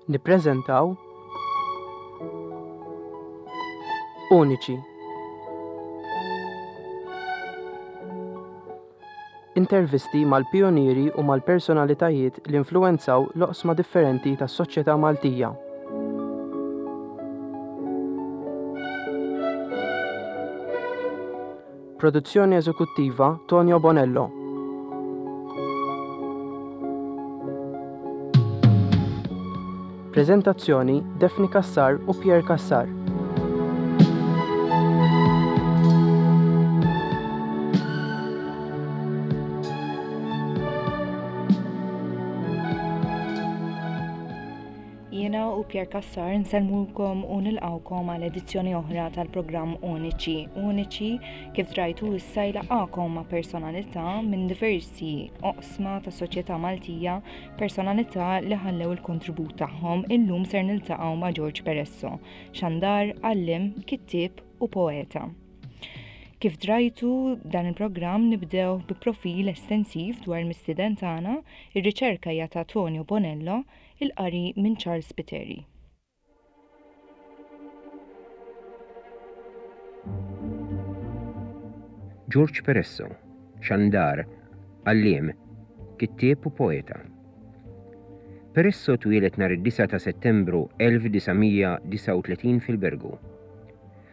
Nippreżentaw Uniċi. Intervisti mal-pijunieri u mal-personalitajiet li influwenzaw l-oqsma differenti tas-soċjetà Maltija. Produzzjoni eżekuttiva Tonio Bonello. Preżentazzjoni Daphne Cassar u Pierre Cassar. Jiena u Pierre Cassar nsellmulkom u nilqgħukom għal edizzjoni oħra tal-programm Uniċi. Uniċi kif drajtu issa jlaqgħakom ma' personalità minn diversi oqsma tas soċjetà Maltija, personalità li ħallew il-kontribut tagħhom. Illum ser niltaqgħu ma' George Peresso, xandar, għalliem, kittieb u poeta. Kif drajtu dan il-programm nibdew bi profil estensiv dwar il-mistieden tagħna, ir-riċerka hija ta' Tonio Bonello, Il-qari minn Charles Spiteri. Ġorġ Peresso, xandar, għalliem, kittieb u poeta. Peresso twieled nhar id-9 ta' Settembru 1939 fil-Birgu.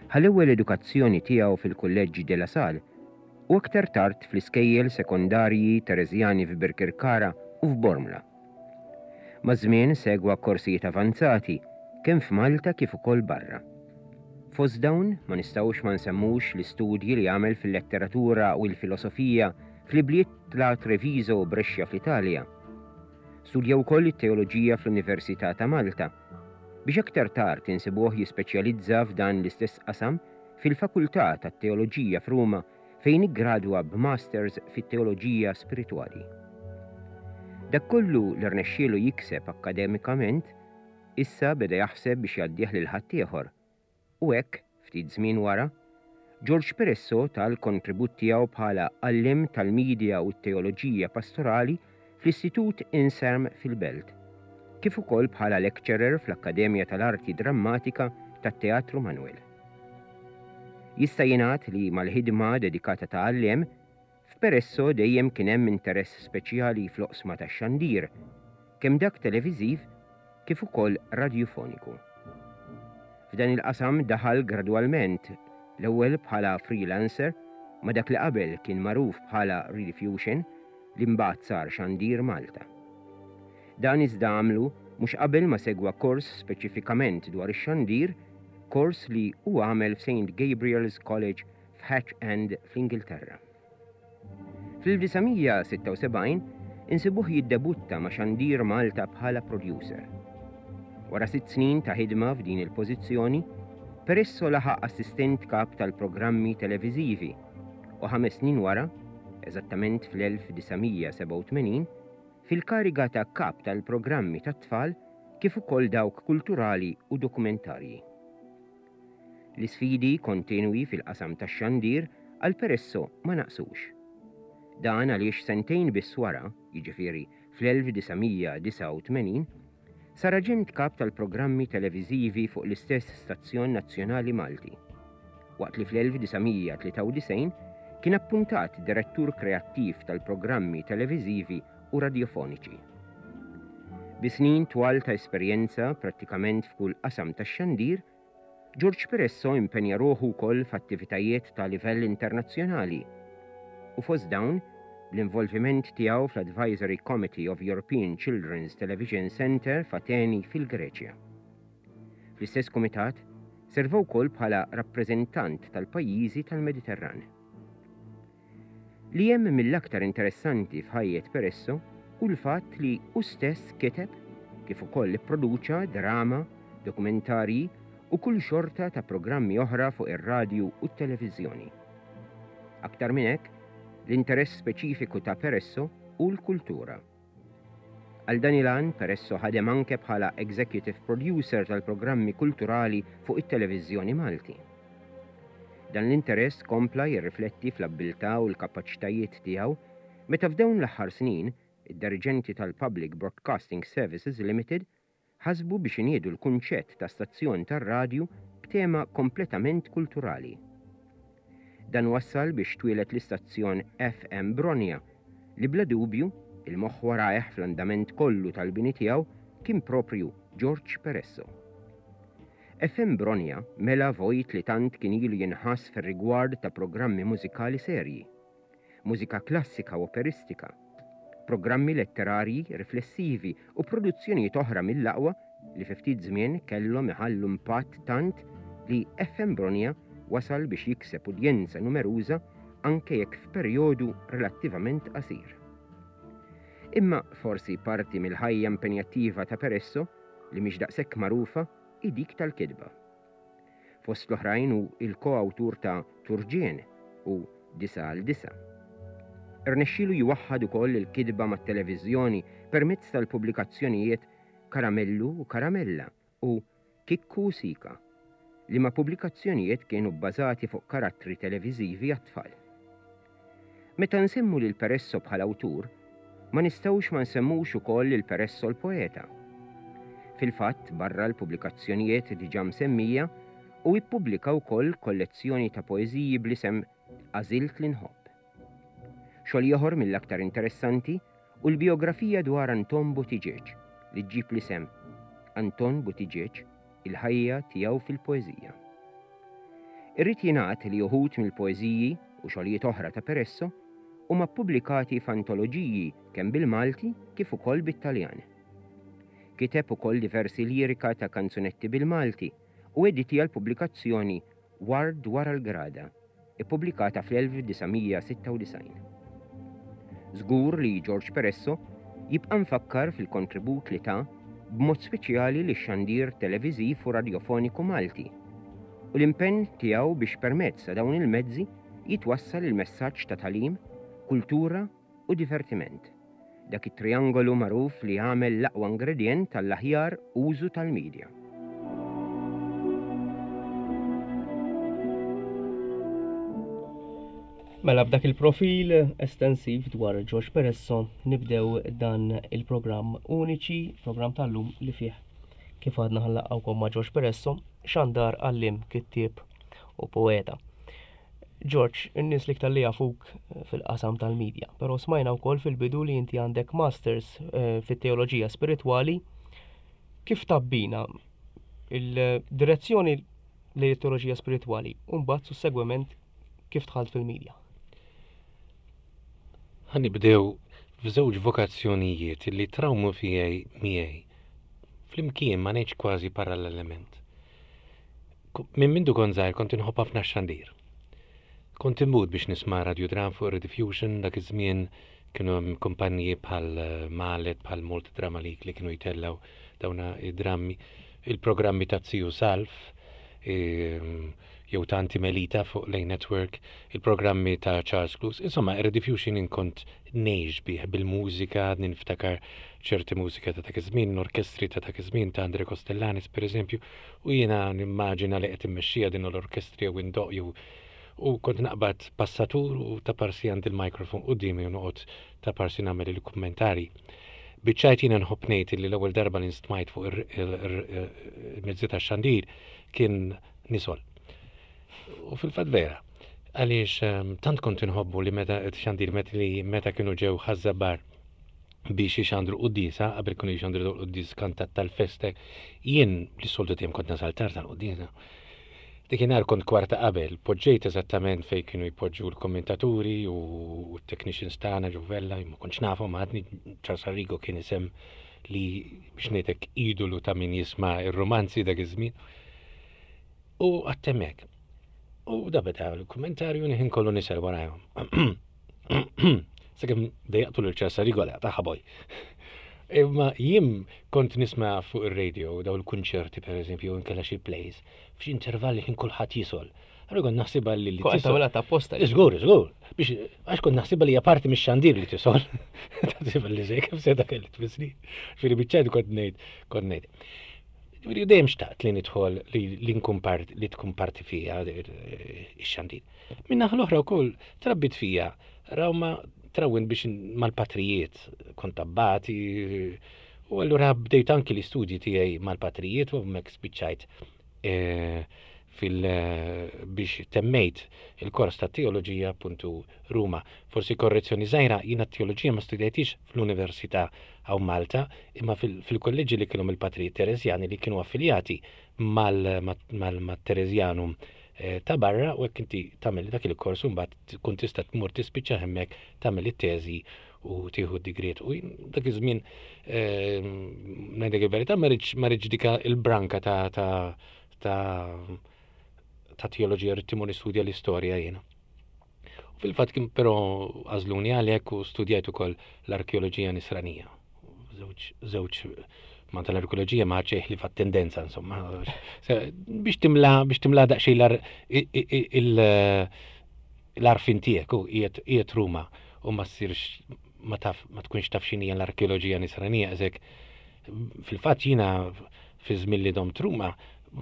Ħa l-ewwel edukazzjoni tiegħu fil-Kulleġġ De La Salle u aktar tard fl-iskejjel sekondarji Tereżjani f'Birkirkara u f'Bormla. Maż-żmien segwa korsijiet avanzati kemm f'Malta kif ukoll barra. Fost dawn ma nistgħux ma nsemmux l-istudji li għamel fil-letteratura u l-filosofija fl-ibliet ta' Treviso u Brescia fl-Italja. Studja wkoll it-teoloġija fl-Università ta' Malta, biex aktar tard insibuh jispeċjalizza f'dan l-istess qasam fil-Fakultà tat-Teoloġija f'Ruma fejn iggradwa b'Masters fit-Teoloġija Spiritwali. Dak kollu li rnexxielu jikseb akkademikament, issa beda jaħseb biex jgħaddih lil ħaddieħor. U hekk, ftit żmien wara, George Peresso ta l-kontribut tiegħu bħala għalliem tal-Media u t-Teoloġija Pastorali fl-Istitut Inserm fil-Belt, kif ukoll bħala lecturer fl-Akkademja tal-Arti Drammatika tat-Teatru Manoel. Jista' jingħad li mal-ħidma dedikata ta' għalliem, f'Peresso dejjem kien hemm interess speċjali fl-oqsma tax-xandir, kemm dak televiżiv kif ukoll radjufoniku. F'dan il-qasam daħal gradwalment, l-ewwel bħala freelancer ma' dak li qabel kien magħruf bħala Rediffusion li mbagħad sar Xandir Malta. Dan iżda għamlu mhux qabel ma segwa kors speċifikament dwar ix-xandir, kors li hu għamel f'Saint Gabriel's College f'Hatch End fl-Ingilterra. Fl-1976 insibuh jiddebutta ma' Xandir Malta bħala producer. Wara sitt snin ta' ħidma f'din il-pożizzjoni, Peresso laħaq assistent kap tal-programmi televiżivi u ħames snin wara, eżattament fl-1987, fil-kariga ta' Kap tal-Programmi tat-Tfal kif ukoll dawk kulturali u dokumentarji. L-isfidi kontinwi fil-qasam tax-xandir għal Peresso ma naqsux. Dan għaliex sentejn biss wara, jiġifieri fl-1989, sar aġent kap tal-programmi televiżivi fuq l-istess stazzjon nazzjonali Malti, waqt li fl-1993 kien appuntat direttur kreattiv tal-programmi televiżivi u radjofoniċi. Bi snin twal ta' esperjenza prattikament f'kull qasam tax-xandir, George Peresso impenja ruħu wkoll f'attivitajiet ta' livell internazzjonali u fost dawn l-involviment tiegħu fl-Advisory Committee of European Children's Television Centre f'Ateni fil-Greċja. Fl-istess kumitat serva wkoll bħala rappreżentant tal-pajjiżi tal-Mediterran. Li hemm mill-aktar interessanti f'ħajjet Peresso hu l-fatt li hu stess kiteb kif ukoll ipproduċa drama, dokumentarji u kull xorta ta' programmi oħra fuq ir-radju u t-televiżjoni. Aktar minn hekk, l-interess speċifiku ta' Peresso hu l-kultura. Għal dan il-għan, Peresso ħadem anke bħala executive producer tal-programmi kulturali fuq it-televiżjoni Malti. Dan l-interess kompla jirrifletti fl-abbiltà u l-kapaċitajiet tiegħu meta f'dawn l-aħħar snin, id-diriġenti tal-Public Broadcasting Services Limited. ħasbu biex iniedu l-kunċett ta' stazzjon tar-radju b'tema kompletament kulturali. Dan wassal biex twieled l-istazzjon FM Bronja li bla dubju, il-moħħ warajh fl-andament kollu tal-bini tiegħu kien proprju Ġorġ Peresso. FM Bronja mela vojt li tant kien ilu jinħass fir-rigward ta' programmi mużikali serji. mużika klassika u operistika, programmi letterarji riflessivi u produzzjonijiet oħra mill-aqwa li fi ftit żmien kellhom iħallu impatt tant li FM Bronia wasal biex jikseb udjenza numeruża anke jekk f'perjodu relattivament qasir. Imma forsi parti mill-ħajja impenjattiva ta' Peresso li mhix daqshekk magħrufa hi dik tal-kitba. Fost l-oħrajn hu l ko-awtur ta' Turġien u Disa' għal Disa'. Irnexxielu jwaħħad ukoll il-kitba mat-televiżjoni permezz tal-pubblikazzjonijiet Karamellu u Karamella u Kikku u Sika, liema pubblikazzjonijiet kienu bbażati fuq karattri televiżivi għat-tfal. Meta nsemmu lil Peresso bħala awtur, ma nistgħux ma nsemmux ukoll lil Peresso l-poeta. Fil-fatt, barra l-pubblikazzjonijiet diġà msemmija, hu ippubblika wkoll kollezzjoni ta' poeżiji bl-isem Għażilt li nħobb. Xogħol ieħor mill-aktar interessanti hu l-bijografija dwar Anton Buttigieg li ġġib l-isem Anton Buttigieg, il-ħajja tiegħu fil-poeżija. Irrid jingħad li uħud mill-poeżiji u xogħlijiet oħra ta' Peresso huma ppubblikati f'antoloġiji kemm bil-Malti kif ukoll bit-Taljan. Kiteb ukoll diversi lirika ta' kanzunetti bil-Malti u editja l-pubblikazzjoni Ward wara l-Grada, ippubblikata fl-1996. Żgur li Ġorġ Peresso jibqa' mfakkar fil-kontribut li ta b'mod speċjali lix-xandir televiżiv u radjofoniku Malti u l-impenn tiegħu biex permezz ta' dawn il-mezzi jitwassal il-messaġġ ta' tagħlim, kultura u divertiment, dak it-triangolu magħruf li jagħmel l-aqwa ingredjent għall-aħjar użu tal-media. Mela b'dak il-profil estensiv dwar George Peresso nibdew dan il-programm Uniċi, programm tal-lum li fih kif għadna ħallaqgħukom ma' George Peresso, xandar għallim, kittieb u poeta. George, in-nies l-iktar li jafuk eh, fil-qasam tal-medja, però smajna wkoll fil-bidu li inti għandek masters eh, fit-teoloġija spiritwali. Kif tabbina il-direzzjoni lejn it-teoloġija spiritwali u mbagħad sussegwement kif dħalt fil-medja? Ħa nibdew f'żewġ vokazzjonijiet li trawmu fijaj miegħi. Flimkien ma ngħidx kważi parallelament. Minn mindu kont żgħir kont inħobb ħafna x-xandir. Kont immut biex nisma' radiodram fuq Rediffusion dak iż-żmien kienu hemm kumpaniji bħal eh, Malet, bħal Malta Drama League li kienu jtellgħu dawna id-drammi, il-programmi ta' Ziju Salf, ehm, jew ta' Anti Melita fuq Lane Network, il-programmi ta' Charles Clues, insomma, Rediffusion inkont ngħix bih bil-mużika, niftakar ċerti mużika ta' dak iż-żmien, l-orkestri ta' dak iż-żmien ta' Andre Kostellanis pereżempju, U jiena nimmaġina li qed immexxija din l-orkestri jew indoqq jew u kont naqbad passatur u ta' parsi għandi l-microphone quddiemi u noqgħod ta' parsi nagħmel il-kummentarji. Biċ-ċajt jiena nħobb ngħid li l-ewwel darba li nstmajt fuq il-mezzi tax-xandir kien nisol. U fil-fatt vera, għaliex ehm, tant kont inħobbu li meta xandir meta li meta kienu ġew ħaż-Żabbar biex ixandru quddiesa, qabel kienu jxandru dawn il-quddies kantat tal-festa, jien li soltu dejjem kont nasal tard tal-quddiesa. Dikinhar kont kwarta qabel, poġġejt eżattament fejn kienu jpoġġu l-kommentaturi u t-technicians tagħna ġuvella, ma kontx nafhom għadni Charles Arrigo kien isem li biex ngħidlek idolu ta' min jisma' ir-romanzi dak iż-żmien. U għattemmek. U da beda l-kommentarju nħin kollu nisel warajhom. Sakemm dejjaqtu lil Charles Arrigo għal taħħa boj. Imma jien kont nisma' fuq ir-radio daw il-kunċerti pereżempju inkella xi plays f'xi intervalli ħin kulħadd jisol. Allura kont naħsibha li li tisol. Kont ta' posta. Żgur, żgur. Biex għax kont naħsibha li hija parti mix-xandir li tisol. Taħsibha li żej kif se dak li tfissri. Ġifieri biċċajt kont ngħid, kont ngħid. Ġifieri dejjem xtaqt li nidħol li nkun part li tkun parti fija ix-xandir. Min-naħa l-oħra wkoll trabbit fija rawma trawwin biex mal-patrijiet, kont abbati. U allura bdejt anki l-istudji tiegħi mal-patrijiet u hemmhekk spiċċajt eh, fil biex temmejt il-kors ta' teoloġija appuntu Ruma. Forsi korrezzjoni żgħira, jiena t-teoloġija ma studjajtix fl-Università hawn Malta, imma fil-kolleġġi li kienu mill-Patrijiet Tereżjani li kienu affiljati mal-Tereżjanum eh, ta' barra u hekk inti tagħmel dak il-kors u mbagħad tkun tista' tmur tispiċċa hemmhekk tagħmel it-teżi u tieħu d-digriet. U dak iż-żmien eh, ngħidlek il-verità ma rridx dika il-branka ta' ta' ta' ta' teoloġija rrid timur nistudja l-istorja jiena. U fil-fatt kien però għażluni għalhekk u studjajt ukoll l-arkeoloġija nisranija. Żewġ ma tal-arkeoloġija ma ċeħ li fat tendenza insomma. Biex timla biex timla daqsxejn l-arfin tiegħek u qiegħed Ruma u ma ssirx ma taf ma tkunx taf x'inhija l-arkeoloġija nisranija eżek fil-fatt jiena fi żmien li domt Ruma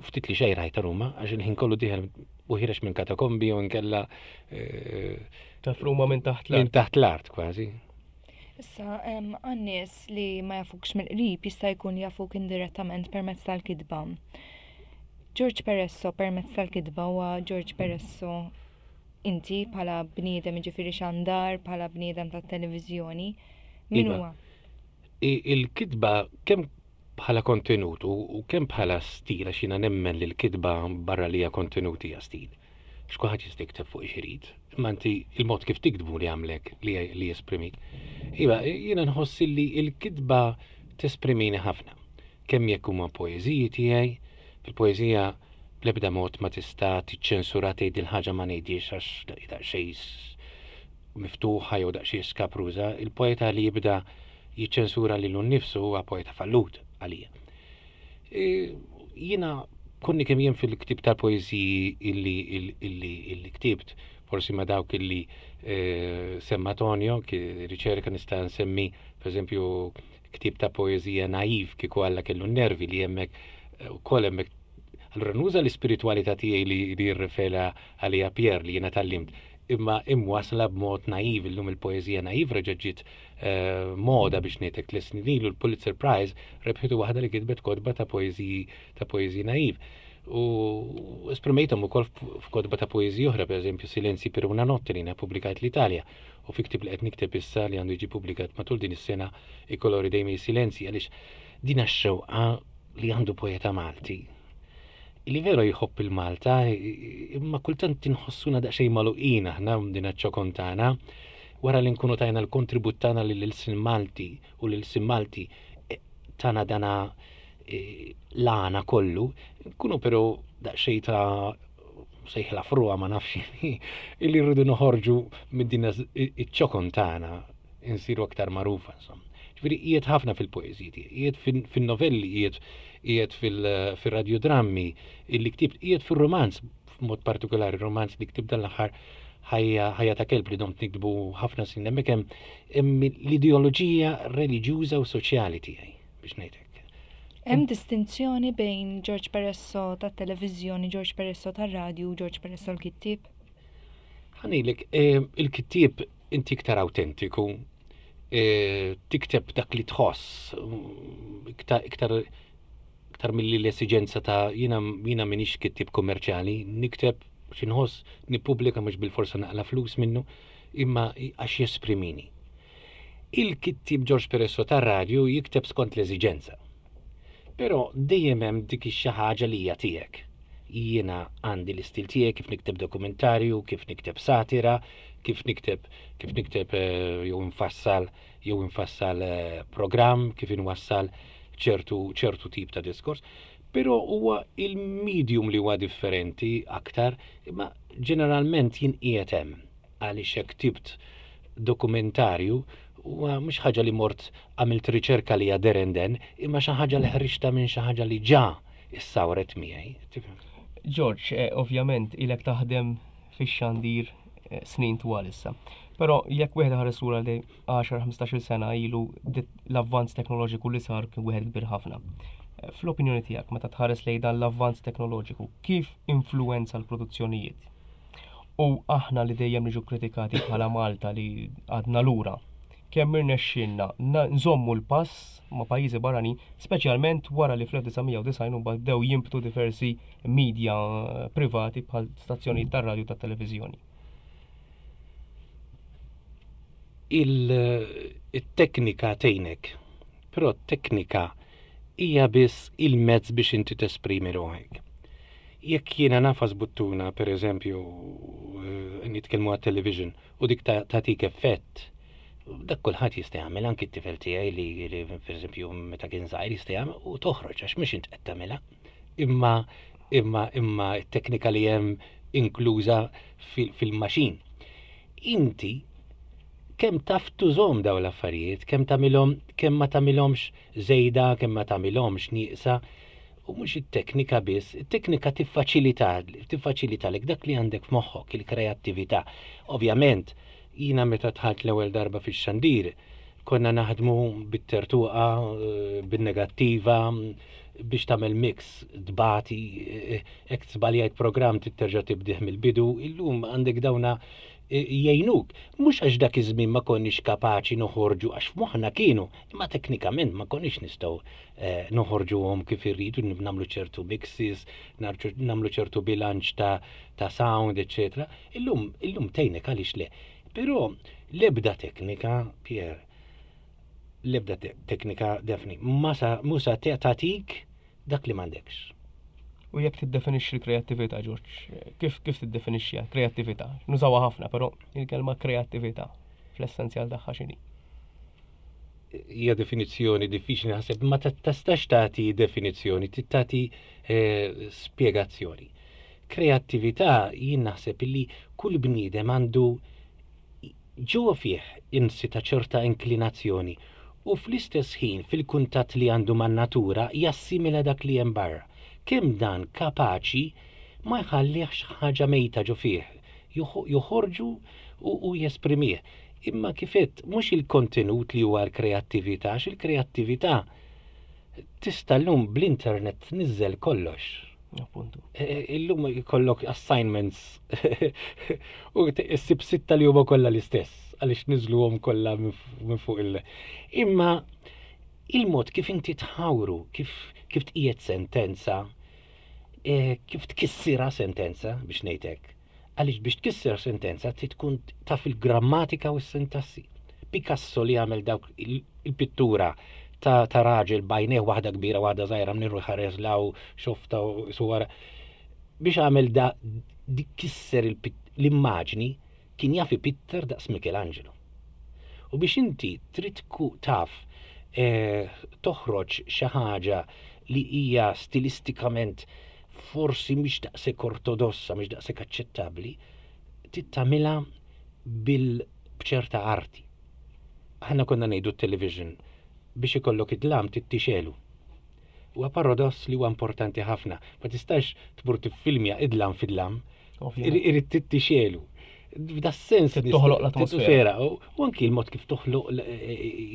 ftit li xejn rajta Ruma għax il-ħin kollu dieħel u ħirex minn katakombi u nkella eh, taf Ruma minn taħt l-art. Minn taħt l-art kważi. Issa, għan-nies li ma jafukx mill-qrib jista' jkun jafuk indirettament permezz tal-kitba. George Peresso permezz tal-kitba huwa George Peresso inti bħala bniedem jiġifieri xandar, bħala bniedem tat-televiżjoni, min iva. huwa? Il-kitba kemm bħala kontenut u kemm bħala stil għax jiena nemmen li l-kitba barra li hija kontenut hija stil. X'kulħadd jista' jikteb fuq irid, imma inti il-mod kif tiktbu li għamlek li, li jesprimik. Iva, jiena nħoss li l-kitba tesprimini ħafna. Kemm jekk huma poeżiji tiegħi, fil-poeżija bl-ebda mod ma tista' tiċċensura tgħid il-ħaġa ma ngħidhiex għax daqsxejn miftuħa jew daqsxejn skabruża, il-poeta li jibda jiċċensura lilu nnifsu huwa poeta fallut għalija. E, jiena konni kemm jien fil-ktib tal-poeżiji illi illi illi ktibt, forsi ma dawk illi e, semma Tonio, riċerka nista' nsemmi, per eżempju, ktib ta' poeżija naiv kieku Alla kellu n-nervi li hemmhekk eh, ukoll hemmhekk Allura nuża l-ispiritwalità tiegħi li li jirrifera għaliha Pierre li jiena tgħallimt, imma imwasla b'mod naiv illum il-poeżija naiv reġgħet ġiet eh, moda biex ngħidlek tliet snin ilu l-Pulitzer Prize rebħitu waħda li kitbet kotba ta' poeżiji ta' poeżiji naiv. U esprimejthom ukoll f'kotba ta' poeżiji oħra, pereżempju Silenzi per una notte li jiena ppubblikajt l-Italja. U fi ktieb li qed nikteb issa li għandu jiġi ppubblikat matul din is-sena I colori dei miei silenzi għaliex din x-xewqa li għandu poeta Malti li veru jħobb il-Malta imma kultant inħossuna daqsxejn magħluqin aħna din ċokon tagħna wara li nkunu tajna l-kontribut tagħna lil-ilsien Malti u l-ilsien Malti e, tagħna dana e, l-għana kollu, nkunu però daqsxejn ta' sejħla fruha ma nafx illi rridu noħorġu minn din iċ-ċokon tagħna insiru aktar magħrufa insomma. Ġifieri qiegħed ħafna fil-poeżiji tiegħi, qiegħed fin-novelli, qiegħed qiegħed fil-radjodrammi illi ktibt, qiegħed fir-romanz f'mod partikolari romanz li ktibt dan l-aħħar ħajja ħajja ta' kelb li domt niktbu ħafna snin hemmhekk hemm l-ideoloġija reliġjuża u soċjali tiegħi biex ngħid hekk. Hemm distinzjoni bejn George Peresso tat-televiżjoni, George Peresso tar-radju u George Peresso l-kittieb? Ħa ngħidlek, eh, il-kittieb inti iktar awtentiku, eh, tikteb dak li tħoss, iktar iktar iktar milli l-esiġenza ta' jiena jiena m'iniex kittieb kummerċjali, nikteb xi nħoss, nippubblika mhux bilforsa naqla' flus minnu, imma għax jesprimini. Il-kittieb George Peresso tar-radju jikteb skont l-eżiġenza. Però dejjem hemm dik ix-xi ħaġa li hija tiegħek. Jiena għandi l-istil tiegħi kif nikteb dokumentarju, kif nikteb satira, kif nikteb kif nikteb eh, jew infassal jew infassal eh, programm, kif inwassal ċertu ċertu tip ta' diskors. Però huwa il-medium li huwa differenti aktar, imma ġeneralment jien qiegħed hemm. Għaliex jekk ktibt dokumentarju huwa mhux ħaġa li mort għamilt riċerka li there and then, imma xi ħaġa li ħriġtha minn xi ħaġa li ġa issawret miegħi. George, eh, ovvjament ilek taħdem fix-xandir eh, snin twal issa. Però jekk wieħed ħares lura li 10-15 sena ilu l-avvanz teknoloġiku li sar kien wieħed kbir ħafna. Eh, fl-opinjoni tiegħek meta tħares lejn dan l-avvanz teknoloġiku, kif influenza l-produzzjonijiet? U aħna li dejjem niġu kritikati bħala Malta li għadna lura. kemm irnexxielna nżommu l-pass ma' pajjiżi barranin, speċjalment wara li fl-1990 mbagħad bdew jinbtu diversi media privati bħal stazzjonijiet tar-radju tat-televiżjoni? Il-teknika tgħinek, però t-teknika hija biss il-mezz biex inti tesprimi ruħek. Jekk jiena nagħfas buttuna, per eżempju, eh, nitkellmu għat-television, u dik tagħtik effett, dak kulħadd jista' jagħmel anki t-tifel tiegħi li, li per eżempju meta kien żgħir jista' jagħmel u toħroġ għax mhux int qed tagħmilha. Imma imma imma t-teknika li hemm inkluża fil-maxin. Inti kemm taf tużhom dawn l-affarijiet, kemm tagħmilhom, kemm ma tagħmilhomx żejda, kemm ma tagħmilhomx nieqsa, u mhux it-teknika biss, it-teknika tiffaċilita, tiffaċilitalek dak li għandek f'moħħok, il-kreattività. Ovvjament, jiena meta dħalt l-ewwel darba fix-xandir, konna naħdmu bit-tertuqa, eh, bin-negattiva, biex tagħmel mix tbati, eh, hekk żbaljajt programm trid terġa' tibdih mill-bidu, illum għandek dawna jgħinuk. Mhux għax dak iż-żmien ma konniex kapaċi noħorġu għax f'moħħna kienu, imma teknikament ma konniex nistgħu eh, noħorġuhom kif irridu, nagħmlu ċertu mixes, nagħmlu ċertu bilanċ ta', ta sound, eċetera. Illum, illum tgħinek għaliex le. Però l-ebda teknika, Pier, l-ebda teknika defni, ma sa musa tagħtik dak li m'għandekx. U jekk tiddefinixxi l-kreattività, Ġorġ, kif kif tiddefinixxiha kreattività? Nużawha ħafna, però il-kelma kreattività fl-essenzjal tagħha x'inhi? Hija definizzjoni diffiċli naħseb, ma tistax tagħti definizzjoni, tagħti eh, spjegazzjoni. Kreattività jien naħseb illi kull bniedem għandu ġewwa fih insita ċerta inklinazzjoni u fl-istess ħin fil-kuntatt li għandu man-natura jassimila dak li hemm barra. Kemm dan kapaċi ma jħallihx ħaġa mejta ġo fih, joħorġu u jesprimih. Imma kif għedt, mhux il-kontenut li huwa l-kreattività, għax il-kreattività tista' llum bl-internet tniżżel kollox. Appuntu. E, e, illum ikollok assignments u issib sitta li huma kollha l-istess għaliex niżluhom kollha minn fuq il. Imma il-mod kif inti tħawru, kif kif tqiegħed sentenza, e, kif tkissira sentenza biex ngħidlek. Għaliex biex tkisser sentenza trid tkun taf il-grammatika u s-sintassi. Picasso li għamel dawk il-pittura ta', ta raġel bajnejh waħda kbira waħda żgħira minn ħares law xofta u suwara. Biex għamel da dik kisser l-immaġni kien jaf ipitter daqs Michelangelo. U biex inti trid taf eh, toħroġ xi ħaġa li hija stilistikament forsi mhix daqshekk ortodossa, mhix daqshekk aċċettabbli, trid tagħmilha bil b'ċerta arti. Aħna konna ngħidu t-television biex ikollok id-dlam trid tixegħlu. Huwa paradoss li huwa importanti ħafna. Ma tistax tmur tiffilmja id-dlam fid-dlam. Irid trid tixegħlu. F'da sens toħloq l-atmosfera. U anki l-mod kif toħloq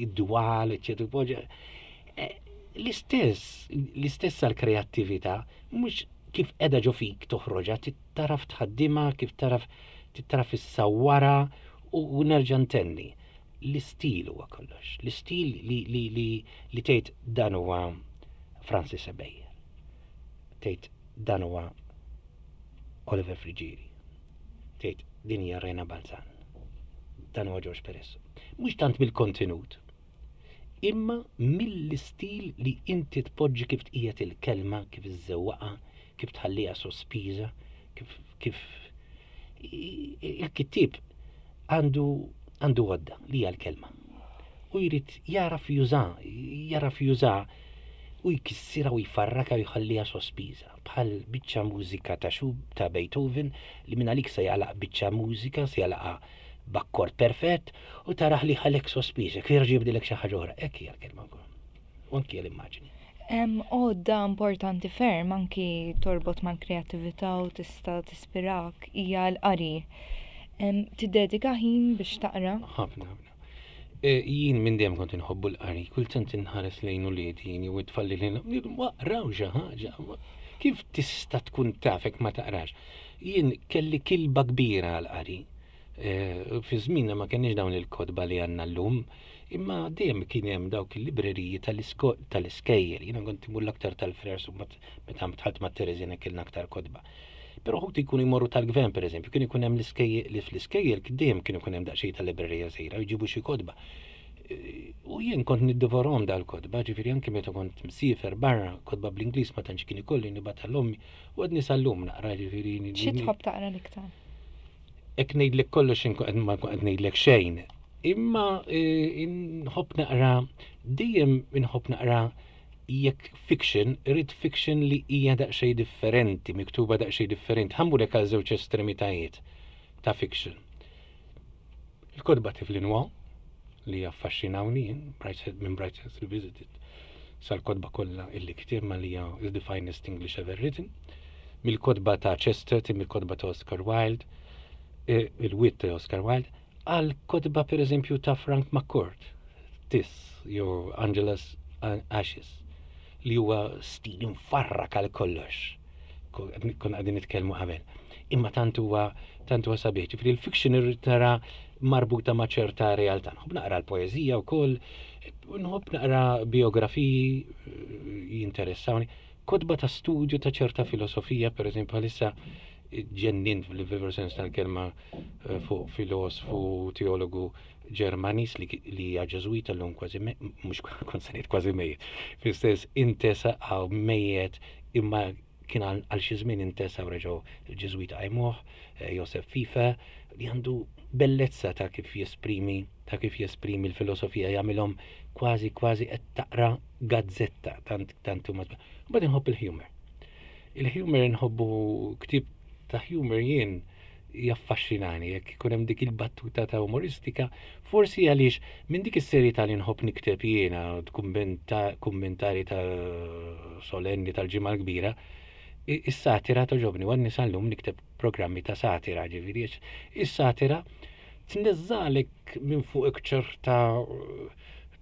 id-dwal, eċetera. Eh, l-istess, l-istess għall-kreattività, mhux kif qiegħda ġo fik toħroġha, taraf tħaddimha, kif taraf taraf issawwarha u nerġa' ntenni. L-istil huwa kollox. L-istil li li li li tgħid dan huwa Francis Ebejer. Tgħid dan huwa Oliver Friggieri. Tgħid din hija Rena Balzan. Dan huwa George Peresso. Mhux tant mill-kontenut, imma mill-istil li inti tpoġġi kif tqiegħed il-kelma, kif iżżewwaqha, kif tħalliha sospiża, kif kif il-kittieb għandu għandu għodda li hija l-kelma. U jrid jaraf juża, jaraf juża u jkissirha u jfarraka u jħalliha sospiża. Bħal biċċa mużika ta' xub ta' Beethoven li minn għalik se jagħlaq biċċa mużika, se jagħlaqha b'akkord perfett u tarah li ħalek sospiż, jekk jerġa' jibdilek xi ħaġa oħra. Hekk hija l-kelma wkoll. U anki l-immaġni. Hemm għodda importanti ferm anki torbot mal-kreattività u tista' tispirak hija l-qari. Tiddedika ħin biex taqra? Ħafna, ħafna. E, jien minn dejjem kont inħobbu l-qari, kultant inħares lejn uliedi jien jew it-tfal li lejn waqraw xi ħaġa. Kif tista' tkun taf hekk ma taqrax? Jien kelli kilba kbira għall-qari. Eh, fi żmienna ma kenniex dawn il-kotba li għandna llum, imma dejjem kien hemm dawk il-libreriji tal-iskejjel. Jiena kont imur l-aktar tal-Frers u meta dħalt ma' Tereżina kellna aktar kotba. Però ħuti jkunu jmorru tal-gvern pereżempju, kien ikun hemm l-iskejjel li fl-iskejjel dejjem kien ikun hemm daqsxejn tal-librerija żgħira u jġibu xi kotba. Eh, u jien kont niddivorhom dal-kotba, ġifieri anke meta kont msiefer barra, kotba bl-Ingliż ma tantx kien ikolli nibgħatha l-ommi u għadni sal-lum naqra ġifieri. Xi tħobb taqra l-iktar? Hekk ngħidlek kollox inkun ma nkun qed ngħidlek xejn. Imma eh, nħobb naqra dejjem inħobb naqra jekk fiction, irrid fiction li hija daqsxejn differenti, miktuba daqsxejn differenti. Ħammurek għal żewġ estremitajiet ta' fiction. Il-kotba Tiflin Wa li affaxxinawni jien, minn Brideshead Revisited sal-kotba kollha illi ktieb ma li hija is the finest English ever written, mill-kotba ta' Chesterton, mill-kotba ta' Oscar Wilde, e, il-wit ta' Oscar Wilde, għal kotba per eżempju ta' Frank McCourt, Tis, jew Angela's Ashes, li huwa stil imfarrak għal kollox. Kon għadin nitkellmu qabel. Imma tant huwa tant huwa sabiħ. Ġifieri l-fiction irrid nara marbuta ma' ċerta realtà. Nħobb naqra l-poeżija wkoll, nħobb naqra biografiji eh, jinteressawni. Kotba ta' studju ta' ċerta filosofija, per eżempju, bħalissa ġennint fil-veru sens tal-kelma eh, fuq filosfu, teologu Ġermaniż li hija Ġeżwita llum kważi mhux kont se ngħid kważi mejjet. Fis-sens intesa għaw mejjet imma kien għal xi żmien intesa u reġgħu l-Ġeżwita qajmuh, eh, Josef Fife, li għandu bellezza ta' kif jesprimi ta' kif jesprimi l-filosofija jagħmilhom kważi kważi qed taqra gazzetta tant tant huma. Mbagħad inħobb il-humor. Il-humor inħobbu ktieb ta' humor jien jaffaxxinani jekk ikun hemm dik il-battuta ta' umoristika, forsi għaliex minn dik is-serjetà li nħobb nikteb jiena kummentari ta' solenni tal-ġimgħa l-kbira, is-satira toġobni u għadni sal-lum nikteb programmi ta' satira, ġifieri is-satira tneżżalek minn fuqek ċerta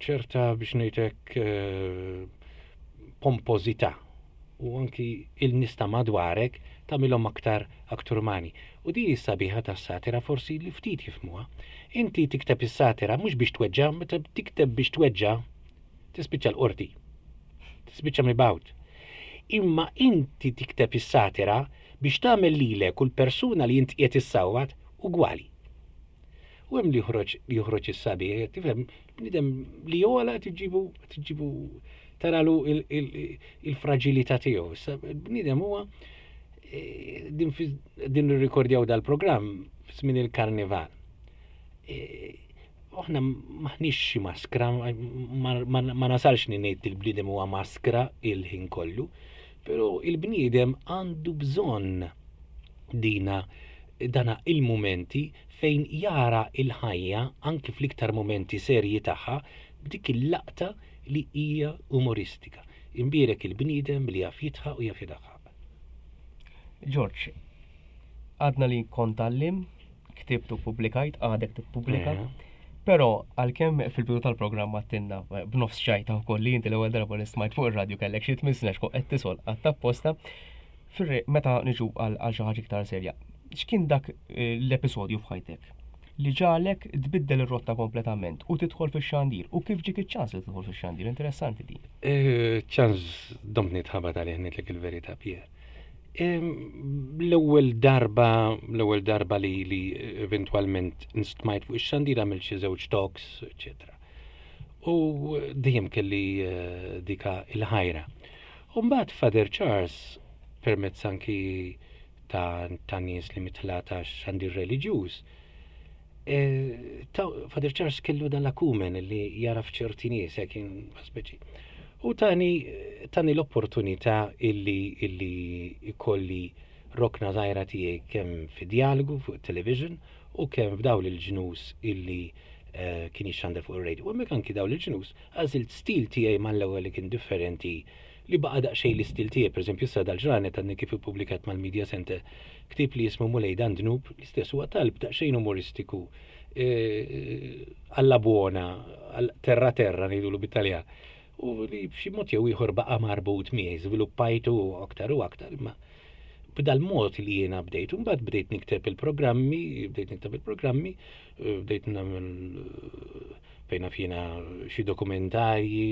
ċerta biex ngħidlek eh, pompożità u anki il-nies ta' madwarek tagħmilhom aktar aktar umani. U din is-sabiħa tas-satira forsi li ftit jifhmuha. Inti tikteb is-satira mhux biex tweġġa', meta tikteb biex tweġġa' tispiċċa l-qorti. Tispiċċa mibgħut. Imma inti tikteb is-satira biex tagħmel lilek u l-persuna li int qiegħed issawwat ugwali. U hemm li joħroġ li joħroġ is-sabiħ, tifhem, bniedem li jola tiġibu tiġibu taralu il-fraġilità tiegħu. Issa bniedem huwa e, din din nirrikordjaw dal-programm f'żmien il-karnival. E, aħna maħniex xi maskra, ma nasalx ni ngħid il-bniedem huwa maskra il-ħin kollu, però il-bniedem għandu bżonn dina dana il-mumenti fejn jara il-ħajja anki fl-iktar mumenti serji tagħha b'dik il-laqta li hija umoristika. Imbierek il-bniedem li jaf jidħaq u jaf jidaħħaq. Ġorġ, għadna li kont għallim, ktibt u ppubblikajt, għadek tippubblika. Però għalkemm fil-bidu tal-programm għattinna b'nofs ċajta wkoll li inti l-ewwel darba li smajt fuq ir-radju kellek xi tmien snin għax kont qed tisol qatt apposta, meta niġu għal xi ħaġa iktar serja, x'kien dak eh, l-episodju f'ħajtek li ġalek tbiddel ir-rotta kompletament u tidħol fix-xandir u kif ġiek iċ-ċans li tidħol fix-xandir? Interessanti din. Eh, ċans domt nitħabat għalih ngħidlek il-verità Pier. L-ewwel darba, l-ewwel darba li li eventwalment nstmajt fuq ix-xandir għamilt xi żewġ talks, eċetera. U dejjem kelli eh, dika il-ħajra. U mbagħad Father Charles permezz anki ta', ta nies li mitla ta' xandir reliġjuż, e, Father Charles kellu dan l-akumen li jara f'ċerti nies, hekk kien speċi. U tani, tani l-opportunità illi, illi ikolli rokna żgħira tiegħi kemm fi djalogu fuq television u kemm f'dawl il-ġnus illi eh, kien jixxandar fuq ir-radio. U hemmhekk anki dawl il-ġnus għażilt stil tiegħi mal-ewwel li kien differenti li baqa' daqsxejn l-istil tiegħi. Pereżempju issa dal-ġranet għadni kif ippubblikat mal-Media Center ktieb li jismu Mulej dan dnub, l-istess huwa talb daqsxejn umoristiku eh, alla buona, terra terra ngħidulu bit-Taljan. U li b'xi mod jew ieħor baqa' marbut miegħi, żviluppajtu aktar u aktar, imma b'dal-mod li jiena bdejt, u mbagħad bdejt nikteb il-programmi, bdejt nikteb il-programmi, eh, bdejt nagħmel eh, fejn naf jiena xi dokumentarji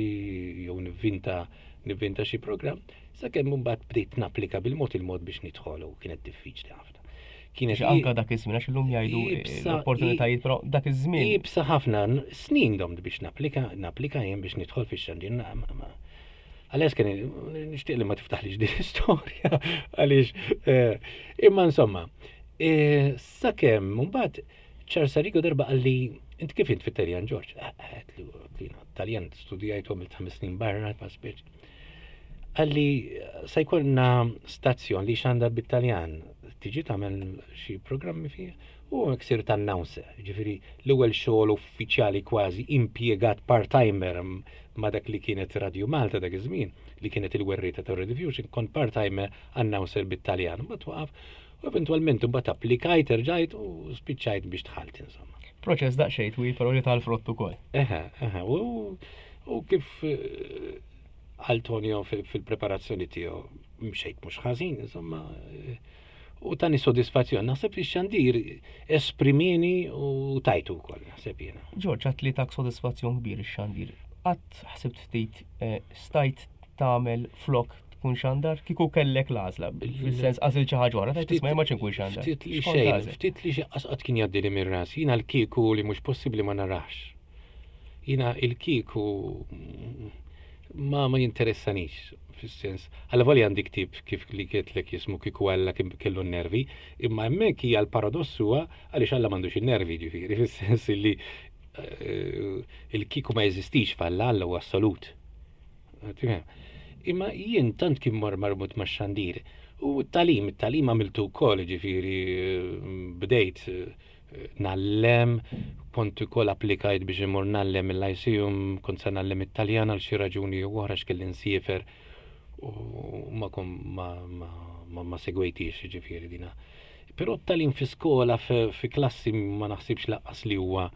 jew nivvinta nivvinta xi programm, sakemm mbagħad bdejt napplika bil-mod il-mod biex nidħol u kienet diffiċli ħafna. Kienet anka dak iż-żmien għax illum jgħidu eh, l-opportunitajiet, però dak iż-żmien. Ibsa ħafna, snin domt biex napplika, napplika jien biex nidħol fix-xandir. Għaliex kien nixtieq li ma tiftaħlix din l-istorja għaliex eh, imma insomma, eh, sakemm mbagħad Charles Arrigo darba qalli int kif int fit-Taljan Ġorġ? Għedtlu Taljan studijajtu għamilt ħames snin barra ma speċ. Qalli se jkollna stazzjon li xandar bit-Taljan tiġi tagħmel xi programmi fih u hekk sirt announcer, ġifieri l-ewwel xogħol uffiċjali kważi impjegat part-timer ma' dak li kienet Radio Malta dak iż-żmien, li kienet il-werrieta ta' Rediffusion, kont part-timer announcer bit-Taljan. Mbagħad waqaf u eventwalment imbagħad applikajt, erġajt u spiċċajt biex dħalt insomma. Proċess daqsxejn twil però li tal-frott ukoll. Eħe, eħe, u kif eh, għal Tonio fil-preparazzjoni tiegħu mxejt mhux ħażin, insomma, eh, u tani sodisfazzjon. Naħseb li xandir esprimini u tajtu wkoll, naħseb jiena. Ġorġ, għat li tak sodisfazzjon kbir ix-xandir. Qatt ħsibt ftit eh, stajt tagħmel flok tkun xandar kieku kellek l-għażla, fis-sens għażil xi ħaġa oħra, tajt isma' ma ċinkun xandar. Ftit li xejn, ftit li xi qasqat kien jgħaddi li mir-ras, jiena l-kieku li mhux possibbli ma narax. Jiena il-kieku ma ma jinteressanix fis-sens. Alla volja għandi ktieb kif li kietlek jismu kieku Alla kellu n-nervi, imma hemmhekk hija l-paradoss huwa għaliex Alla m'għandux in-nervi ġifieri fis-sens li eh, il-kieku ma jeżistix f'Alla, Alla huwa assolut. Imma jien tant kien mor marbut ma' xandir. U t-talim, it-talim għamiltu wkoll, ġifieri bdejt eh, nallem, kont ukoll applikajt biex imur nallem il-Lyceum, kont se nallem it-Taljan għal xi raġuni jew oħra x'kelli nsiefer u ma ma ma ma segwejtix ġifieri dina. Però t-talim fi skola fi klassi ma naħsibx laqqas li huwa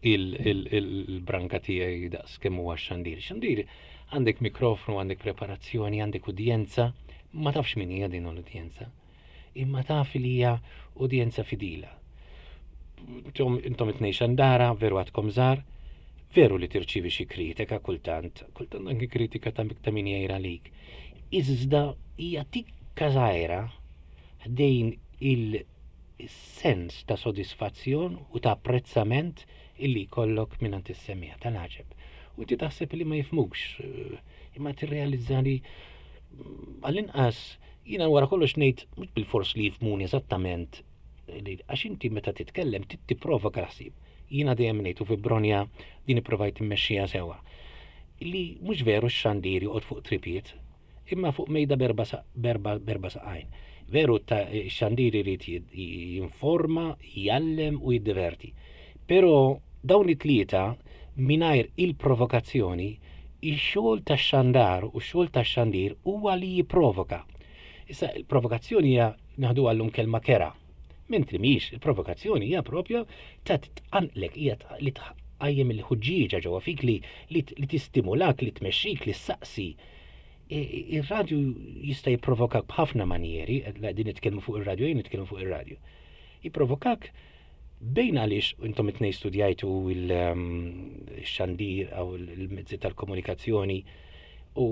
il-branka tiegħi daqs kemm huwa x-xandir. Xandir għandek mikrofonu, għandek preparazzjoni, għandek udjenza, ma tafx min hija din l-udjenza. Imma taf li hija udjenza fidila. Intom it-tnejn xandara, veru għadkom żgħar, veru li tirċievi xi kritika kultant, kultant anki kritika ta' min jgħir għalik. Iżda hija tikka żgħira ħdejn il-sens ta' sodisfazzjon u ta' apprezzament illi jkollok mingħand is-semmiegħa tal-għaġeb. U inti taħseb li ma jifhmukx, eh, imma tirrealizza li mm, għall-inqas jiena wara kollox ngħid mhux bilfors li jifhmuni eżattament għax inti meta titkellem tipprovoka l-ħsieb. Jiena dejjem ngħid u fi Bronja din ipprovajt immexxija sewwa. Li mhux veru x-xandir joqgħod fuq tripiet, imma fuq mejda b'erba' b'erba' b'erba' saqajn. Veru ta' x-xandir irid jinforma, jgħallem u jiddiverti. Però dawn it-tlieta mingħajr il-provokazzjoni, ix-xogħol tax-xandar u x-xogħol tax-xandir huwa li jipprovoka. Issa il-provokazzjoni hija naħduha llum kelma kerha. Mentri mhijiex, il-provokazzjoni hija propja ta' tqanqlek, hija li tqajjem il-ħuġġieġa ġewwa fik li li tistimulak, li tmexxik, li ssaqsi. Ir-radju jista' jipprovokak b'ħafna manjeri, din nitkellmu fuq ir-radju, jien nitkellmu fuq ir-radju. Jipprovokak bejn għaliex intom it-tnejn studjajtu il-xandir mm, għaw il-mezzi tal-komunikazzjoni u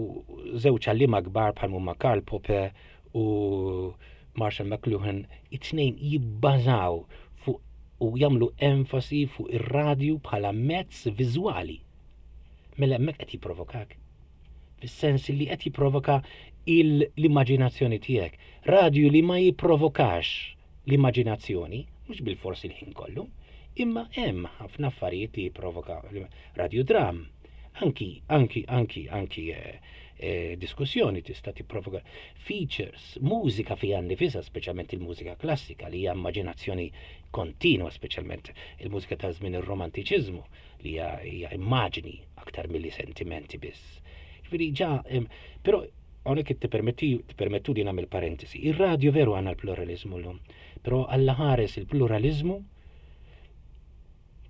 żewġ għalliema kbar bħal huma Karl Popper u Marshall McLuhan, it-tnejn jibbażaw fuq u jagħmlu enfasi fuq ir-radju bħala mezz viżwali. Mela hemmhekk qed jipprovokak. Fis-sens li qed jipprovoka l-immaġinazzjoni tiegħek. Radju li ma jipprovokax l-immaġinazzjoni, mhux bilfors il-ħin kollu, imma hemm ħafna affarijiet li jipprovoka radiodram. Anki, anki, anki, anki eh, eh, diskussjoni tista' tipprovoka features, mużika fiha nnifisha, speċjalment il-mużika klassika li hija immaġinazzjoni kontinwa, speċjalment il-mużika ta' żmien ir-romantiċiżmu li hija immaġni aktar milli sentimenti biss. Ġifieri ġa, però hawnhekk tippermetti tippermettu li nagħmel parentesi. Ir-radju veru għandna l-pluraliżmu llum, però Alla ħares il-pluraliżmu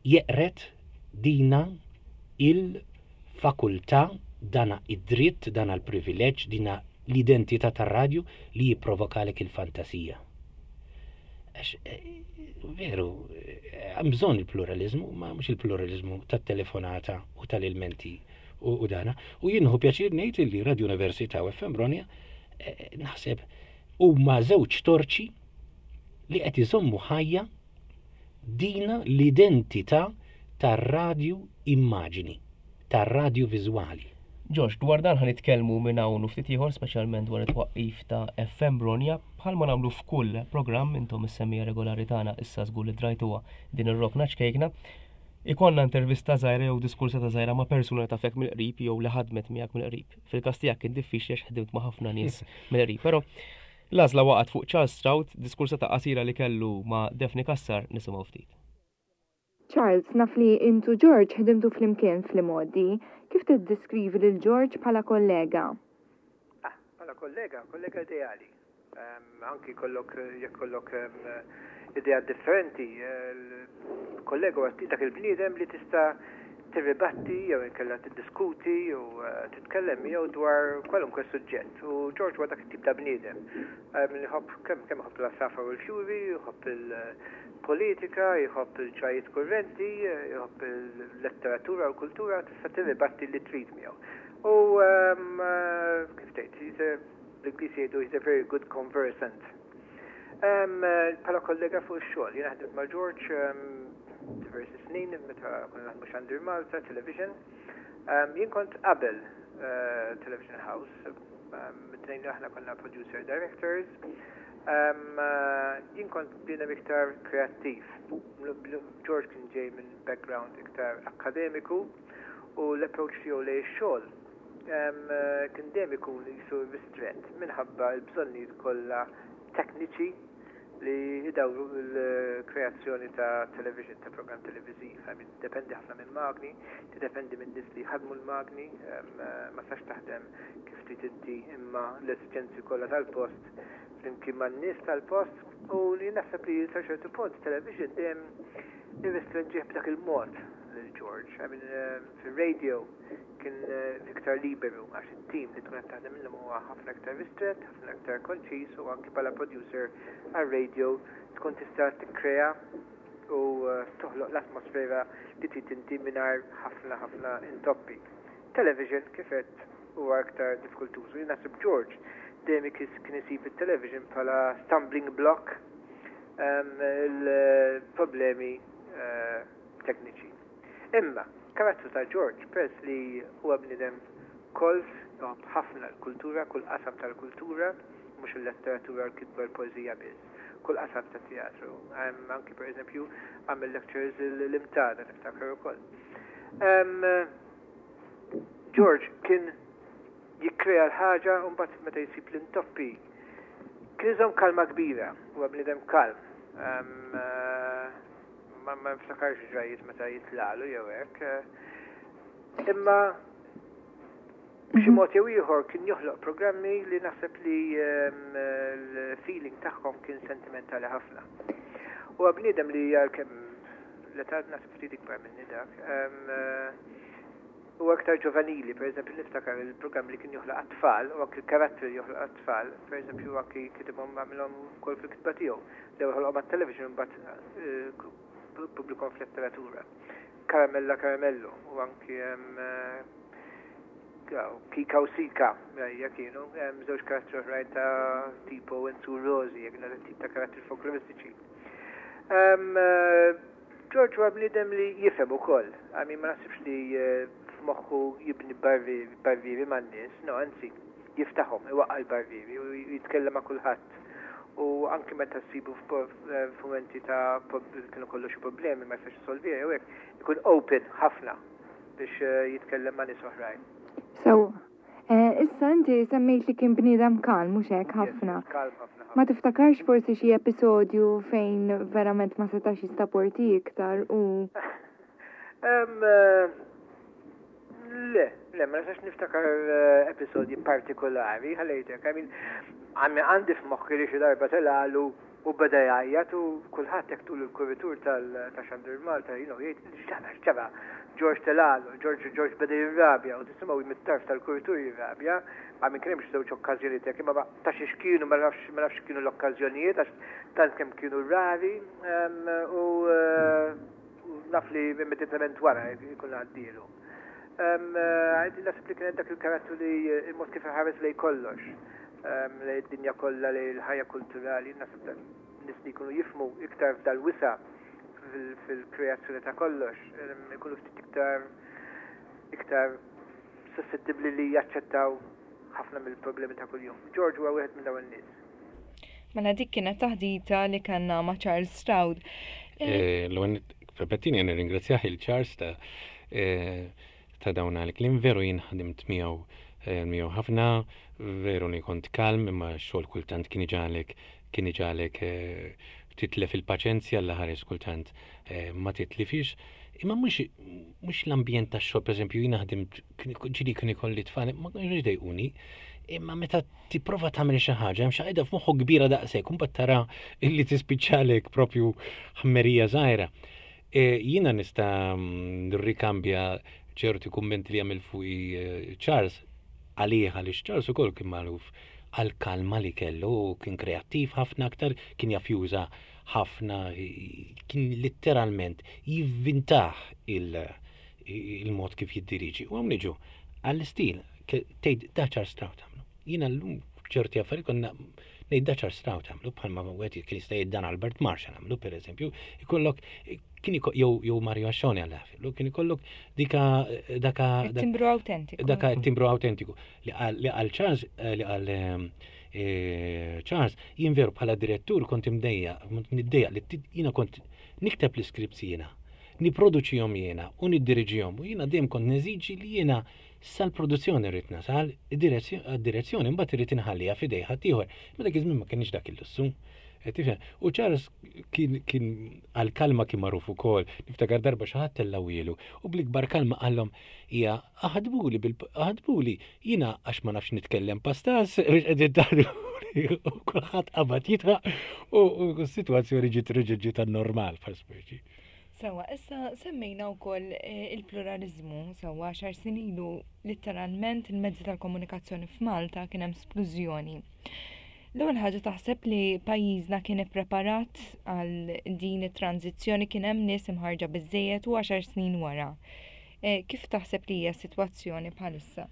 jeqred dina il-fakultà, dana id-dritt, dana l-privileġġ, dina l-identità tar-radju li jipprovokalek il-fantasija. Għax eh, veru, eh, hemm bżonn il-pluralizmu, ma mhux il-pluralizmu tat-telefonata u tal-ilmenti u dana. U jien nieħu pjaċir ngħid li Radio Università u FM Ronja eh, naħseb huma żewġ torċi li qed iżommu ħajja dina l-identità tar-radju immaġini, tar-radju viżwali. Ġorġ, dwar dan ħa nitkellmu minn hawn u ftit ieħor, speċjalment dwar it-twaqqif ta' FM Bronja, bħalma nagħmlu f'kull programm, intom is-semmiegħa regolari tagħna issa żgur li drajtuha din ir-rokna ċkejkna. Ikollna intervista żgħira jew diskursata żgħira ma' persuna li tafek mill-qrib jew li ħadmet miegħek mill-qrib. Fil-każ tiegħek kien diffiċli għax ħdimt ma' ħafna nies mill-qrib, però l-għażla waqgħet fuq Charles Stroud, diskursata qasira li kellu ma' Daphne Cassar nisimgħu ftit. Charles, naf li int u George ħdimtu flimkien fl-imgħoddi. Kif tiddeskrivi lil George bħala kollega? Ah, bħala kollega, kollega ideali. Anki jkollok, jekk kollok ideat differenti, kollega huwa dak il-bniedem li tista' tirribatti jew inkella tiddiskuti u titkellem miegħu dwar kwalunkwe suġġett. U George huwa dak it-tip ta' bniedem. Jħobb kemm kemm iħobb l-għasafar u l-fjuri, jħobb il-politika, jħobb il-ġrajiet kurrenti, jħobb il-letteratura u l-kultura, tista' tirribatti li trid miegħu. U kif tgħid, bl-Ingliż jgħidu he's a very good conversant. Bħala kollega fuq ix-xogħol, jiena ħdimt ma' George diversi snin meta konna naħdmu Xandir Malta, Television. Jien kont qabel eh, Television House, it-tnejn li aħna konna producer directors. Eh, jien kont bniedem iktar kreattiv. George kien ġej minn background iktar akademiku u l-approach tiegħu lejn ix-xogħol kien dejjem ikun qisu ristrett minħabba l-bżonnijiet kollha tekniċi li jdawru l-kreazzjoni ta' television, ta' programm televiżiv. I mean, tiddependi ħafna minn magni, tiddependi minn nies li jħaddmu l-magni, ma tistax taħdem kif trid inti imma l-esiġenzi kollha tal-post flimkien man-nies tal-post u li naħseb li sa ċertu punt television dejjem irrestrinġih b'dak il-mod lil George. I mean, fir-radio kien iktar liberu għax it-tim li tkun qed taħdem minnhom huwa ħafna iktar ristrett, ħafna iktar konċiż u anki bħala producer għar-radio tkun tista' tikkrea u toħloq l-atmosfera li trid inti mingħajr ħafna ħafna intoppi. Television kif għedt huwa iktar diffikultuż u jien naħseb George dejjem kien isib it-television bħala stumbling block il-problemi tekniċi. Imma, karattru ta' George, peress li huwa bniedem kolt, iħobb ħafna l-kultura, kull qasam tal-kultura, mhux il-letteratura, l-kitba, l-poeżija biss, kull qasam tat-teatru. Anki per eżempju għamel lectures l-Imtada niftakar ukoll. George kien jikkrea l-ħaġa u mbagħad meta jsib l-intoppi kien iżomm kalma kbira, huwa bniedem kalm. Ma niftakarx ġrajiet meta jitlalu jew hekk. Imma b'xi mod jew ieħor kien joħloq programmi li naħseb li ehm, l-feeling tagħhom kien sentimentali ħafna. Huwa bniedem li għalkemm l-età naħseb ftit ikbar minni dak. Ehm, Huwa iktar ġovanili, per eżempju niftakar il-programm li kien joħloq għat-tfal u anki l-karattri li joħloq għat-tfal, per eżempju anki kitibhom għamilhom ukoll fil-kitba tiegħu. L-ewwel ħolqhom għat-television imbagħad ppubblikhom f'letteratura. Karamella Karamellu u anki Kika u Sika hija kienu żewġ karattri oħrajn ta' tipo Enzu Rosi, jekk tip ta' karattri folkloristiċi. George huwa bniedem li jifhem ukoll. I mean ma naħsibx li f'moħħu jibni barrieri man-nies, no anzi jiftaħhom, iwaqqa' l-barrieri u jitkellem ma' kulħadd. U anki meta ssibu f'mumenti ta' kienu kollu xi problemi ma jistax isolviha jew hekk, ikun open ħafna biex jitkellem ma' nies oħrajn. Sewwa. Issa inti semmejt li kien bniedem kalm, mhux hekk ħafna. Kalm ħafna. Ma tiftakarx forsi xi episodju fejn verament ma setax jistaporti iktar u. Le, le, ma nistax niftakar episodji partikolari, ħallejtek. I mean, għandi f'moħħi li xi darba telgħalu u U beda jgħajjat u kulħadd hekk tul il-kuritur tal ta' Xandir Malta, you know, jgħid x'ġara, x'ġara. George telgħalu, George George beda jirrabja u tisimgħu mit-tarf tal-kuritur jirrabja, ma minn kien hemm xi żewġ okkażjonijiet hekk, imma ta' xiex kienu ma nafx ma nafx x'kienu l-okkażjonijiet għax tant kemm kienu rari u naf li immedjatament wara jkun għaddielu. Naħseb li kienet dak il-karattru li il-mod kif iħares lejn kollox, lejn id-dinja kollha, lejn il-ħajja kulturali, naħseb nies li jkunu jifhmu iktar f'dal-wisa' fil-kreazzjoni ta' kollox, ikunu ftit iktar iktar suscettibbli li jaċċettaw ħafna mill-problemi ta' kuljum. George huwa wieħed minn dawn in-nies. Mela dik kienet taħdita li kellna ma' Charles Stroud. Eh, l-ewwel permettini nirringrazzjah il Charles ta' eh, ta' dawn għal-kliem veru jien ħadimt miegħu eh, miegħu ħafna, veru li kont kalm imma x-xogħol kultant kien iġagħlek kien iġagħlek titlef il-paċenzja l ħares kultant ma titlifix. Imma mhux mhux l-ambjent tax-xogħol, pereżempju jiena ħdimt ġieli kien ikolli tfal, ma kienx jdejquni, imma meta tipprova tagħmel xi ħaġa hemm xi ħaġa f'moħħok kbira daqshekk, imbagħad tara illi tispiċċalek propju ħmerija żgħira. E, jiena nista' nirrikambja ċerti kummenti li għamil fuqi e, Charles għalih għaliex Charles ukoll kien magħruf għal kalma li kellu, kien kreattiv ħafna aktar, kien jaf juża ħafna, kien litteralment jivvintah il-mod kif jiddiriġi. U hawn niġu għall-istil, tgħid da Charles Stroud għamlu. Jiena llum ċerti affarijiet konna ngħid da Charles Stroud għamlu bħalma wieħed kien jista' jgħid dan Albert Marshall għamlu pereżempju, ikollok kien jew jew Mario Ascione għal ħafillu, kien ikollok dika daka timbru autentiku. Daka timbru autentiku li qal Charles eh, li qal ehm, eh, Charles jien veru bħala direttur kont imdejja, niddejja li jiena kont nikteb l-iskripts jiena, niproduċihom jiena u niddiriġihom u jiena dejjem kont neżiġi li jiena sal-produzzjoni rrid nasal, id-direzzjoni mbagħad irrid inħalliha f'idej ħaddieħor. Ma dak iż-żmien ma kienx dak il-lussu. Tifhem? U Charles kien kien għal-kalma kien magħruf ukoll. Niftakar darba xi ħadd tellgħu u bl-ikbar kalma qallhom hija aħdbuli bil aħdbuli jiena għax ma nafx nitkellem pastas biex qegħdin taħdbuli u kulħadd qabad jidħaq u s-sitwazzjoni ġiet reġgħet ġiet għan-normal bħal speċi. Sewwa, issa semmejna wkoll eh, il-pluraliżmu, sewwa għaxar snin ilu litteralment il-mezzi tal-komunikazzjoni f'Malta kien hemm splużjoni. L-ewwel ħaġa taħseb li pajjiżna kien ippreparat għal din it-tranżizzjoni kien hemm nies imħarġa biżejjed u għaxar snin wara. Eh, kif taħseb li hija s-sitwazzjoni bħalissa?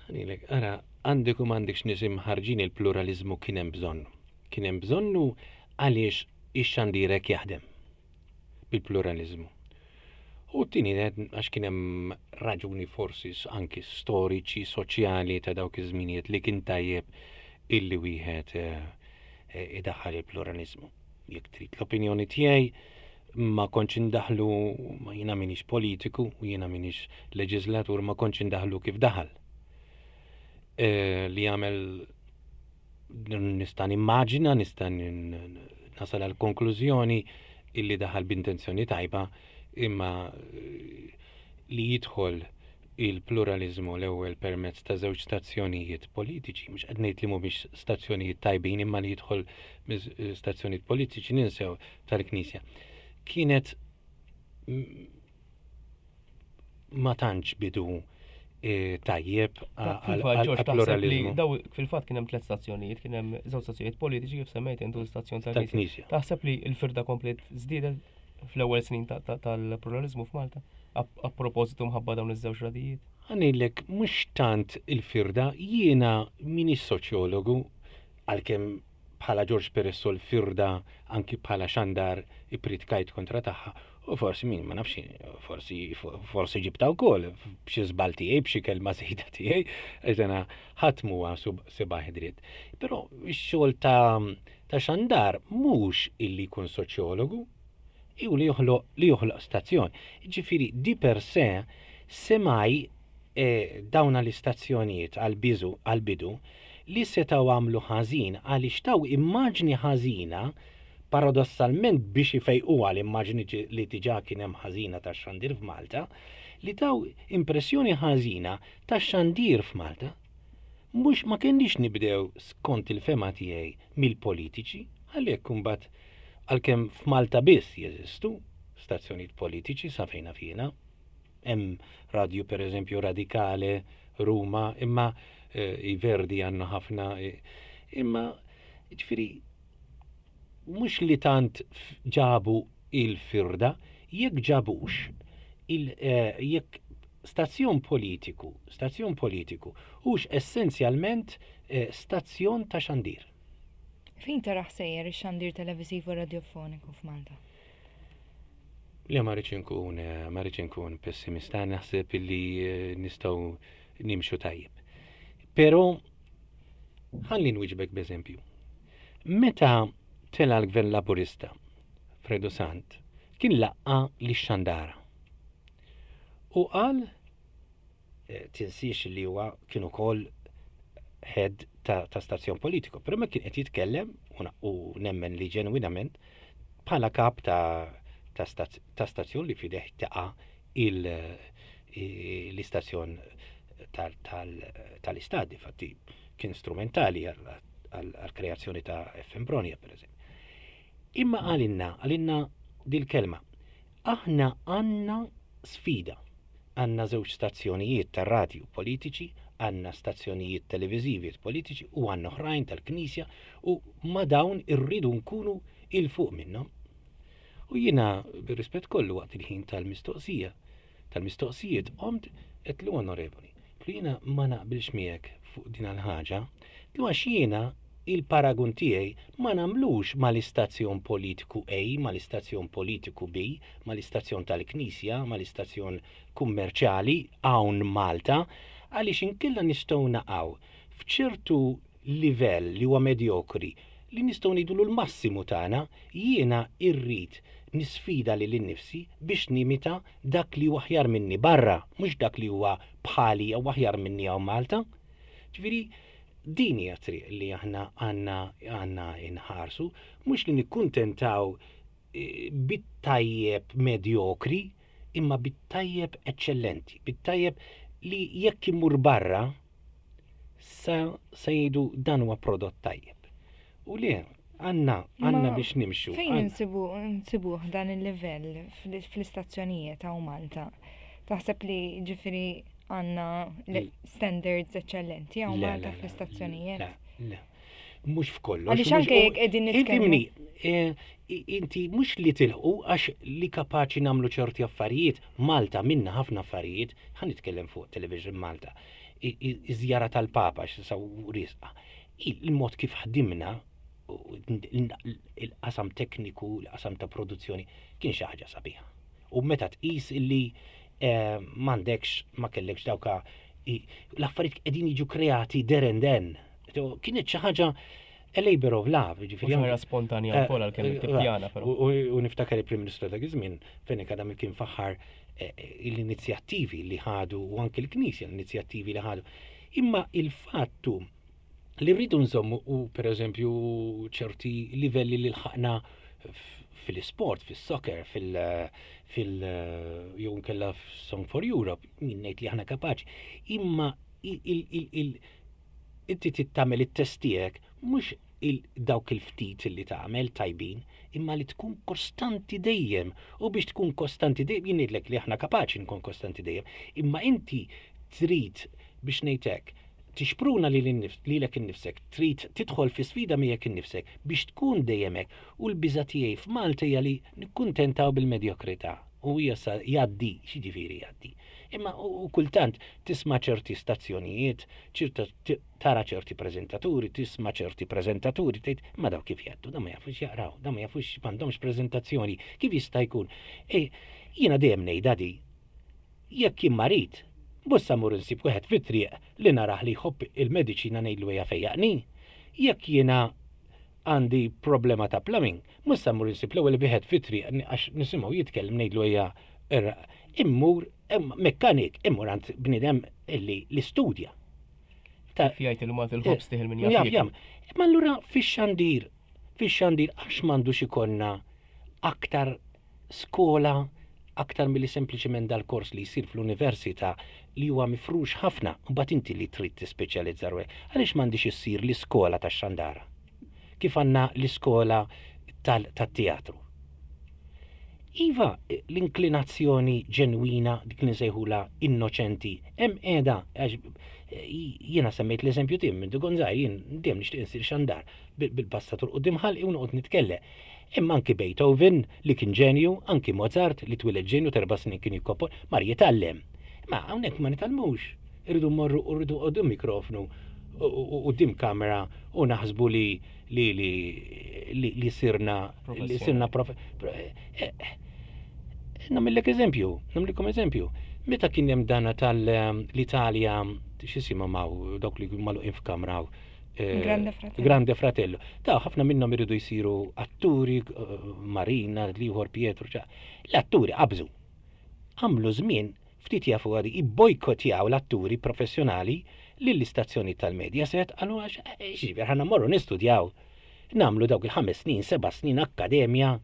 Ħanilek, ara, għandek u m'għandekx nies imħarġin il-pluraliżmu kien hemm bżonn. Kien hemm bżonnu għaliex ix-xandir hekk jaħdem bil-pluraliżmu. U t-tieni għax kien hemm raġuni forsi anki storiċi, soċjali ta' dawk iż-żminijiet li kien tajjeb illi wieħed eh, eh, idaħħal il-pluraliżmu. Jekk trid l-opinjoni tiegħi ma kontx indaħlu ma jiena minix politiku u jiena minix leġislatur ma kontx indaħlu kif daħal. Eh, li għamel nista' nimmaġina, nista' nasal għal konklużjoni illi daħal b'intenzjoni tajba imma eh, li jidħol il-pluralizmu l-ewwel permezz ta' żewġ stazzjonijiet politiċi, mhux qed ngħid li mhumiex stazzjonijiet tajbin imma li jidħol eh, stazzjonijiet politiċi ninsew tal-Knisja. Kienet ma tantx bidu eh, tajjeb għal-pluralizmu. Daw fil-fatt kien hemm tliet stazzjonijiet, kien hemm żewġ stazzjonijiet politiċi kif semmejt intu l-istazzjon tal-Knisja. Taħseb li l-firda komplet żdiedet fl-ewwel snin tal-pluralizmu f'Malta? A propożitu mħabba dawn iż-żewġ radijiet? Għanilek, mhux tant il-firda, jiena minix soċjologu, għalkemm bħala Ġorġ Peresso l-firda anki bħala xandar ippritkajt kontra tagħha u forsi min ma nafx forsi forsi ġibta wkoll b'xi żball tiegħi b'xi kelma żejda tiegħi għax dana ħadd m'huwa sebaħ dritt. Però x-xogħol ta' ta' xandar mhux illi jkun soċjologu, jew li joħloq li joħloq stazzjon. Ġifieri di per se semaj E dawna l-istazzjonijiet għall-biżu għall-bidu li setgħu għamlu ħażin għaliex taw immaġni ħażina paradossalment biex ifejquha l-immaġni li diġà kien hemm ħażina tax-xandir f'Malta, li taw impressjoni ħażina tax-xandir f'Malta. Mhux ma kenniex nibdew skont il-fehma tiegħi mill-politiċi. Għalhekk imbagħad għalkemm f'Malta biss jeżistu stazzjonijiet politiċi sa fejn naf jiena, hemm radju pereżempju Radikale, Ruma, imma eh, i Verdi għandna ħafna, eh, imma ġifieri mhux li tant ġabu il-firda, jekk ġabux il, eh, jekk stazzjon politiku, stazzjon politiku, hux essenzjalment eh, stazzjon ta' xandir. Fejn taraħ sejjer ix-xandir televiżiv u radjofoniku f'Malta? Le ma rridx inkun eh, ma rridx inkun pessimista, naħseb illi eh, nistgħu nimxu tajjeb. Però ħalli nwieġbek b'eżempju. Meta tela l-Gvern Laburista, Fredo Sant, kien laqqa li xandara. U qal eh, tinsiex li huwa kien ukoll head ta', ta stazzjon politiku, però ma kien qed jitkellem u nemmen li ġenwinament bħala kap ta', ta, ta stazzjon li fideh taqa' l-istazzjon tal-istat, infatti kien strumentali għal-kreazzjoni ta' FM Bronia, per eżempju. Imma għalinna, għalinna dil-kelma, aħna għanna sfida. Għandna żewġ stazzjonijiet tar-radju politiċi, għandna stazzjonijiet televiżivi politiċi u għandna oħrajn tal-Knisja u ma' dawn irridu nkunu 'il fuq minnhom. U jiena bir-rispett kollu waqt il-ħin tal-mistoqsija, tal-mistoqsijiet qomt għedtlu onorevoli, għedtlu jiena ma naqbilx miegħek fuq din l-ħaġa, għedtlu għax jiena il-paragun tiegħi ma nagħmlux mal-istazzjon politiku A, mal-istazzjon politiku B, mal-istazzjon tal-Knisja, mal-istazzjon kummerċjali hawn Malta, għaliex inkella nistgħu naqgħu f'ċertu livell li huwa medjokri li nistgħu ngħidulu l-massimu tagħna, jiena rrid nisfida lili nnifsi biex nimita dak li huwa aħjar minni barra, mhux dak li huwa bħali jew aħjar minni hawn Malta. Ġifieri, Din hija t-triq li aħna għandna għandna nħarsu, mhux li nikkuntentaw eh, bit-tajjeb medjokri, imma bit-tajjeb eċċellenti, bit-tajjeb li jekk imur barra sa se jgħidu dan huwa prodott tajjeb. U le, għandna għandna biex nimxu. Fejn insibu nsibuh dan il-livell fl-istazzjonijiet hawn Malta? Taħseb li ġifieri għandna standards eċċellenti hawn Malta fl-istazzjonijiet? Le, mhux f'kollox. Għaliex anke jekk qegħdin nitkellmu. Eh, inti mhux li tilħu għax li kapaċi nagħmlu ċerti affarijiet, Malta minna ħafna affarijiet, ħa nitkellem fuq Television Malta. Iż-żjara tal-Papa x'sa risqa. Il-mod kif ħdimna il-qasam tekniku, il-qasam ta' produzzjoni kien xi ħaġa sabiħa. U meta tqis illi eh, m'għandekx ma kellekx dawka l-affarijiet qegħdin jiġu kreati there and then. Kienet xi ħaġa a labor of love, ġifieri. Ħaġa spontanja eh, wkoll għalkemm eh, tippjana però. U niftakar il-Prim Ministru dak iż-żmien fejn kadam kien faħħar l-inizjattivi li ħadu u anke l-Knisja l-inizjattivi li ħadu. Imma il-fattu li rridu nżommu u pereżempju ċerti livelli li lħaqna fil-sport, fil-soccer, fil- fil jew nkella Song for Europe, min ngħid li aħna kapaċi. Imma inti tittamel it-test tiegħek mhux dawk il-ftit li tagħmel tajbin, imma li tkun kostanti dejjem. U biex tkun kostanti dejjem, jien ngħidlek li aħna kapaċi nkun kostanti dejjem, imma inti trid biex ngħid hekk, tixpruna lilek innifsek, trid tidħol fi sfida miegħek innifsek biex tkun dejjem hekk u l-biża' tiegħi f'Malta hija li nikkuntentaw bil-medjokrità u hija sa jgħaddi, x'jiġifieri jgħaddi? Imma u kultant tisma' ċerti stazzjonijiet, ċerta tara ċerti preżentaturi, tisma' ċerti preżentaturi tgħid imma dawn kif jgħaddu, dawn ma jafux jaqraw, dawn ma jafux m'għandhomx preżentazzjoni, kif jista' jkun? E, jiena dejjem ngħidha di, Jekk jien marid, mhux sa mmur insib wieħed fit-triq li narah li jħobb il-mediċina ngħidlu ejja fejjaqni. Jekk jiena għandi problema ta' plumbing, mhux sa mmur insib l-ewwel wieħed fit-triq għax nisimgħu jitkellem ngħidlu ejja immur mekkanik, immur għand bniedem li li studja. Kif jgħid il-Malti l-ħobż tieħel min jaf jiekol. Imma allura fix-xandir, fix-xandir għax m'għandux ikollna aktar skola aktar milli sempliċement dal-kors li jsir fl-università li huwa mifrux ħafna, mbagħad inti li trid tispeċjalizza ruħek. Għaliex m'għandhiex issir l-iskola tax-xandara? kif għandna l-iskola tat-teatru. Iva, l-inklinazzjoni ġenwina dik li nsejħula innoċenti, hemm qiegħda għax jiena semmejt l-eżempju tim minn Gonzaj, jien dejjem nixtieq insir xandar bil-passatur quddiem ħalqi u noqgħod nitkellem. Imma anki Beethoven li kien ġenju, anki Mozart li twieled ġenju t'erba' snin kien jikkomponi, mar jitgħallem. Imma hawnhekk ma nitgħallmux. Irridu mmorru u rridu quddiem mikrofnu u quddiem kamera u naħsbu li li li li li sirna li sirna prof. Eh, eh, nagħmillek eżempju, nagħmilkom eżempju. Meta kien hemm dana tal-Italja x'isimhom hawn dawk li magħluqin f'kamra Eh, Grande Fratello. Grande Fratello. Ta' ħafna minnhom iridu jsiru atturi, eh, Marina, l-ieħor Pietro, l-atturi qabżu. Għamlu żmien ftit jafu għadi ibbojkotjaw l-atturi professjonali lill-istazzjoni tal-Mediaset għalu għax eh, xiber ħanna morru nistudjaw. Namlu dawk il-ħames snin, seba' snin akkademja,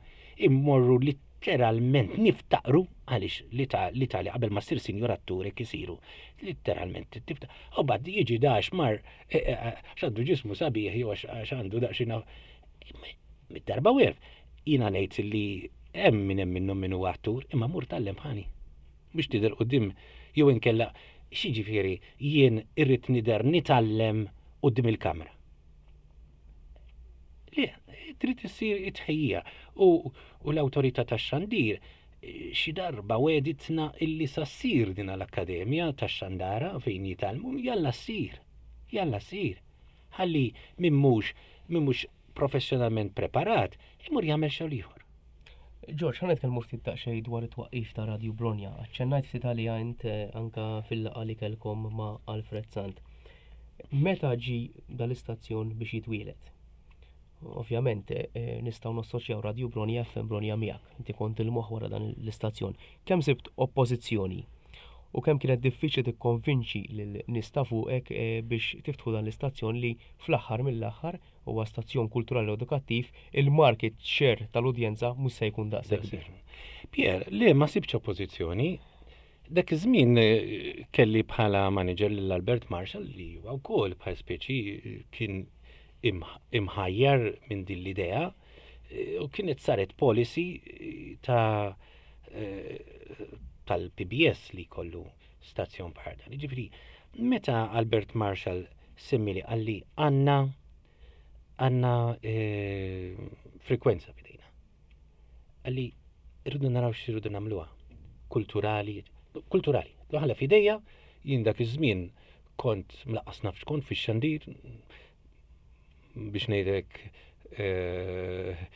immorru litteralment niftaqru għaliex l-Italja qabel ma ssir sinjur atturi kisiru litteralment tifta. U bad jiġi dax mar eh, eh, eh, għax għandu ġismu sabiħ jew għax għandu daqsxejn mid-darba wierf. Jiena ngħid li hemm min hemm minnhom min huwa attur, imma mur tgħallem bħali. Biex tidher quddiem jew inkella x'jiġifieri jien irrid nidher nitgħallem quddiem il-kamra. Le, trid issir it-tħejjija u l-awtorità tax-xandir xi darba wegħditna illi sa ssir din l-akkademja tax-xandara fejn jitgħallmu, jalla ssir, jalla ssir. Ħalli min mhux min mhux professjonalment preparat imur jagħmel xogħol ieħor. Ġorġ, ħa nitkellmu ftit daqsxejn dwar it-twaqqif ta' Radju Bronja. Aċċennajt ftit għaliha int eh, anka fil-laqgħa li kellkom ma' Alfred Sant. Meta ġi dal-istazzjon biex jitwieled? Ovvjament eh, eh, nistgħu nassoċjaw Radju Bronja FM Bronja miegħek. Inti kont il-moħħ wara dan l-istazzjon. Kemm sibt oppożizzjoni u kemm kienet diffiċli tikkonvinċi lil nies ta' fuqek eh, biex tiftħu dan l-istazzjon li fl-aħħar mill-aħħar huwa stazzjon kulturali u edukattiv, il-market share tal-udjenza mhux se jkun daqshekk kbir. Pier, le ma sibtx oppożizzjoni. Dak iż-żmien eh, kelli bħala manager lil Albert Marshall li huwa wkoll bħal speċi eh, kien imħajjar minn din l-idea eh, u kienet saret policy ta' tal-PBS li kollu stazzjon bħal dan. Ġifieri, meta Albert Marshall semmili qalli għandna għandna frekwenza f'idejna. Qalli rridu naraw x'irridu nagħmluha. Kulturali, kulturali. Ħalla f'idejja, jien dak iż-żmien kont mlaqqas naf x'kont fix-xandir biex ngħidlek eh,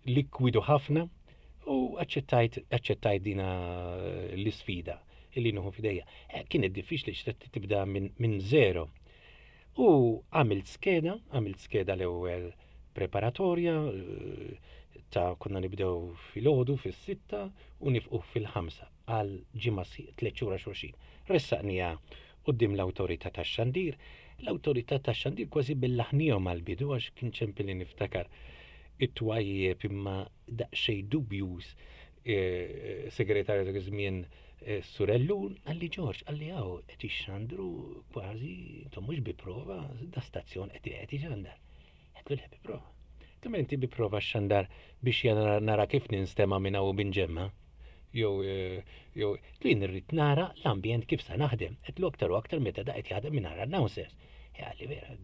likwidu ħafna u aċċettajt aċċettajt dina l-isfida illi nieħu f'idejja. Eh, kienet diffiċli x'trid tibda minn min zero. U għamilt skeda, għamilt skeda l-ewwel preparatorja eh, ta' konna nibdew fil-ħodu fis-sitta u nifqu fil-ħamsa għal ġimgħa tliet xhur xulxin. Ressaqnija quddiem l-awtorità tax-xandir. L-awtorità tax-xandir kważi bellaħnihom għall-bidu għax kien ċempilli niftakar it-twajjeb imma daqsxejn dubjuż eh, segretarju dak iż-żmien eh, Surellu, qalli Ġorġ, qalli hawn qed ixxandru kważi intom mhux bi prova, da stazzjon qed qed ixandar. Għedtlu le bi prova. Għedtlu inti bi prova xandar biex jena nara kif ninstema' minn hawn u minn ġemma. Jew eh, jew li nirrid nara l-ambjent kif sa naħdem. Għedtlu aktar u aktar meta da qed jaħdem minn announcers. Għalli vera,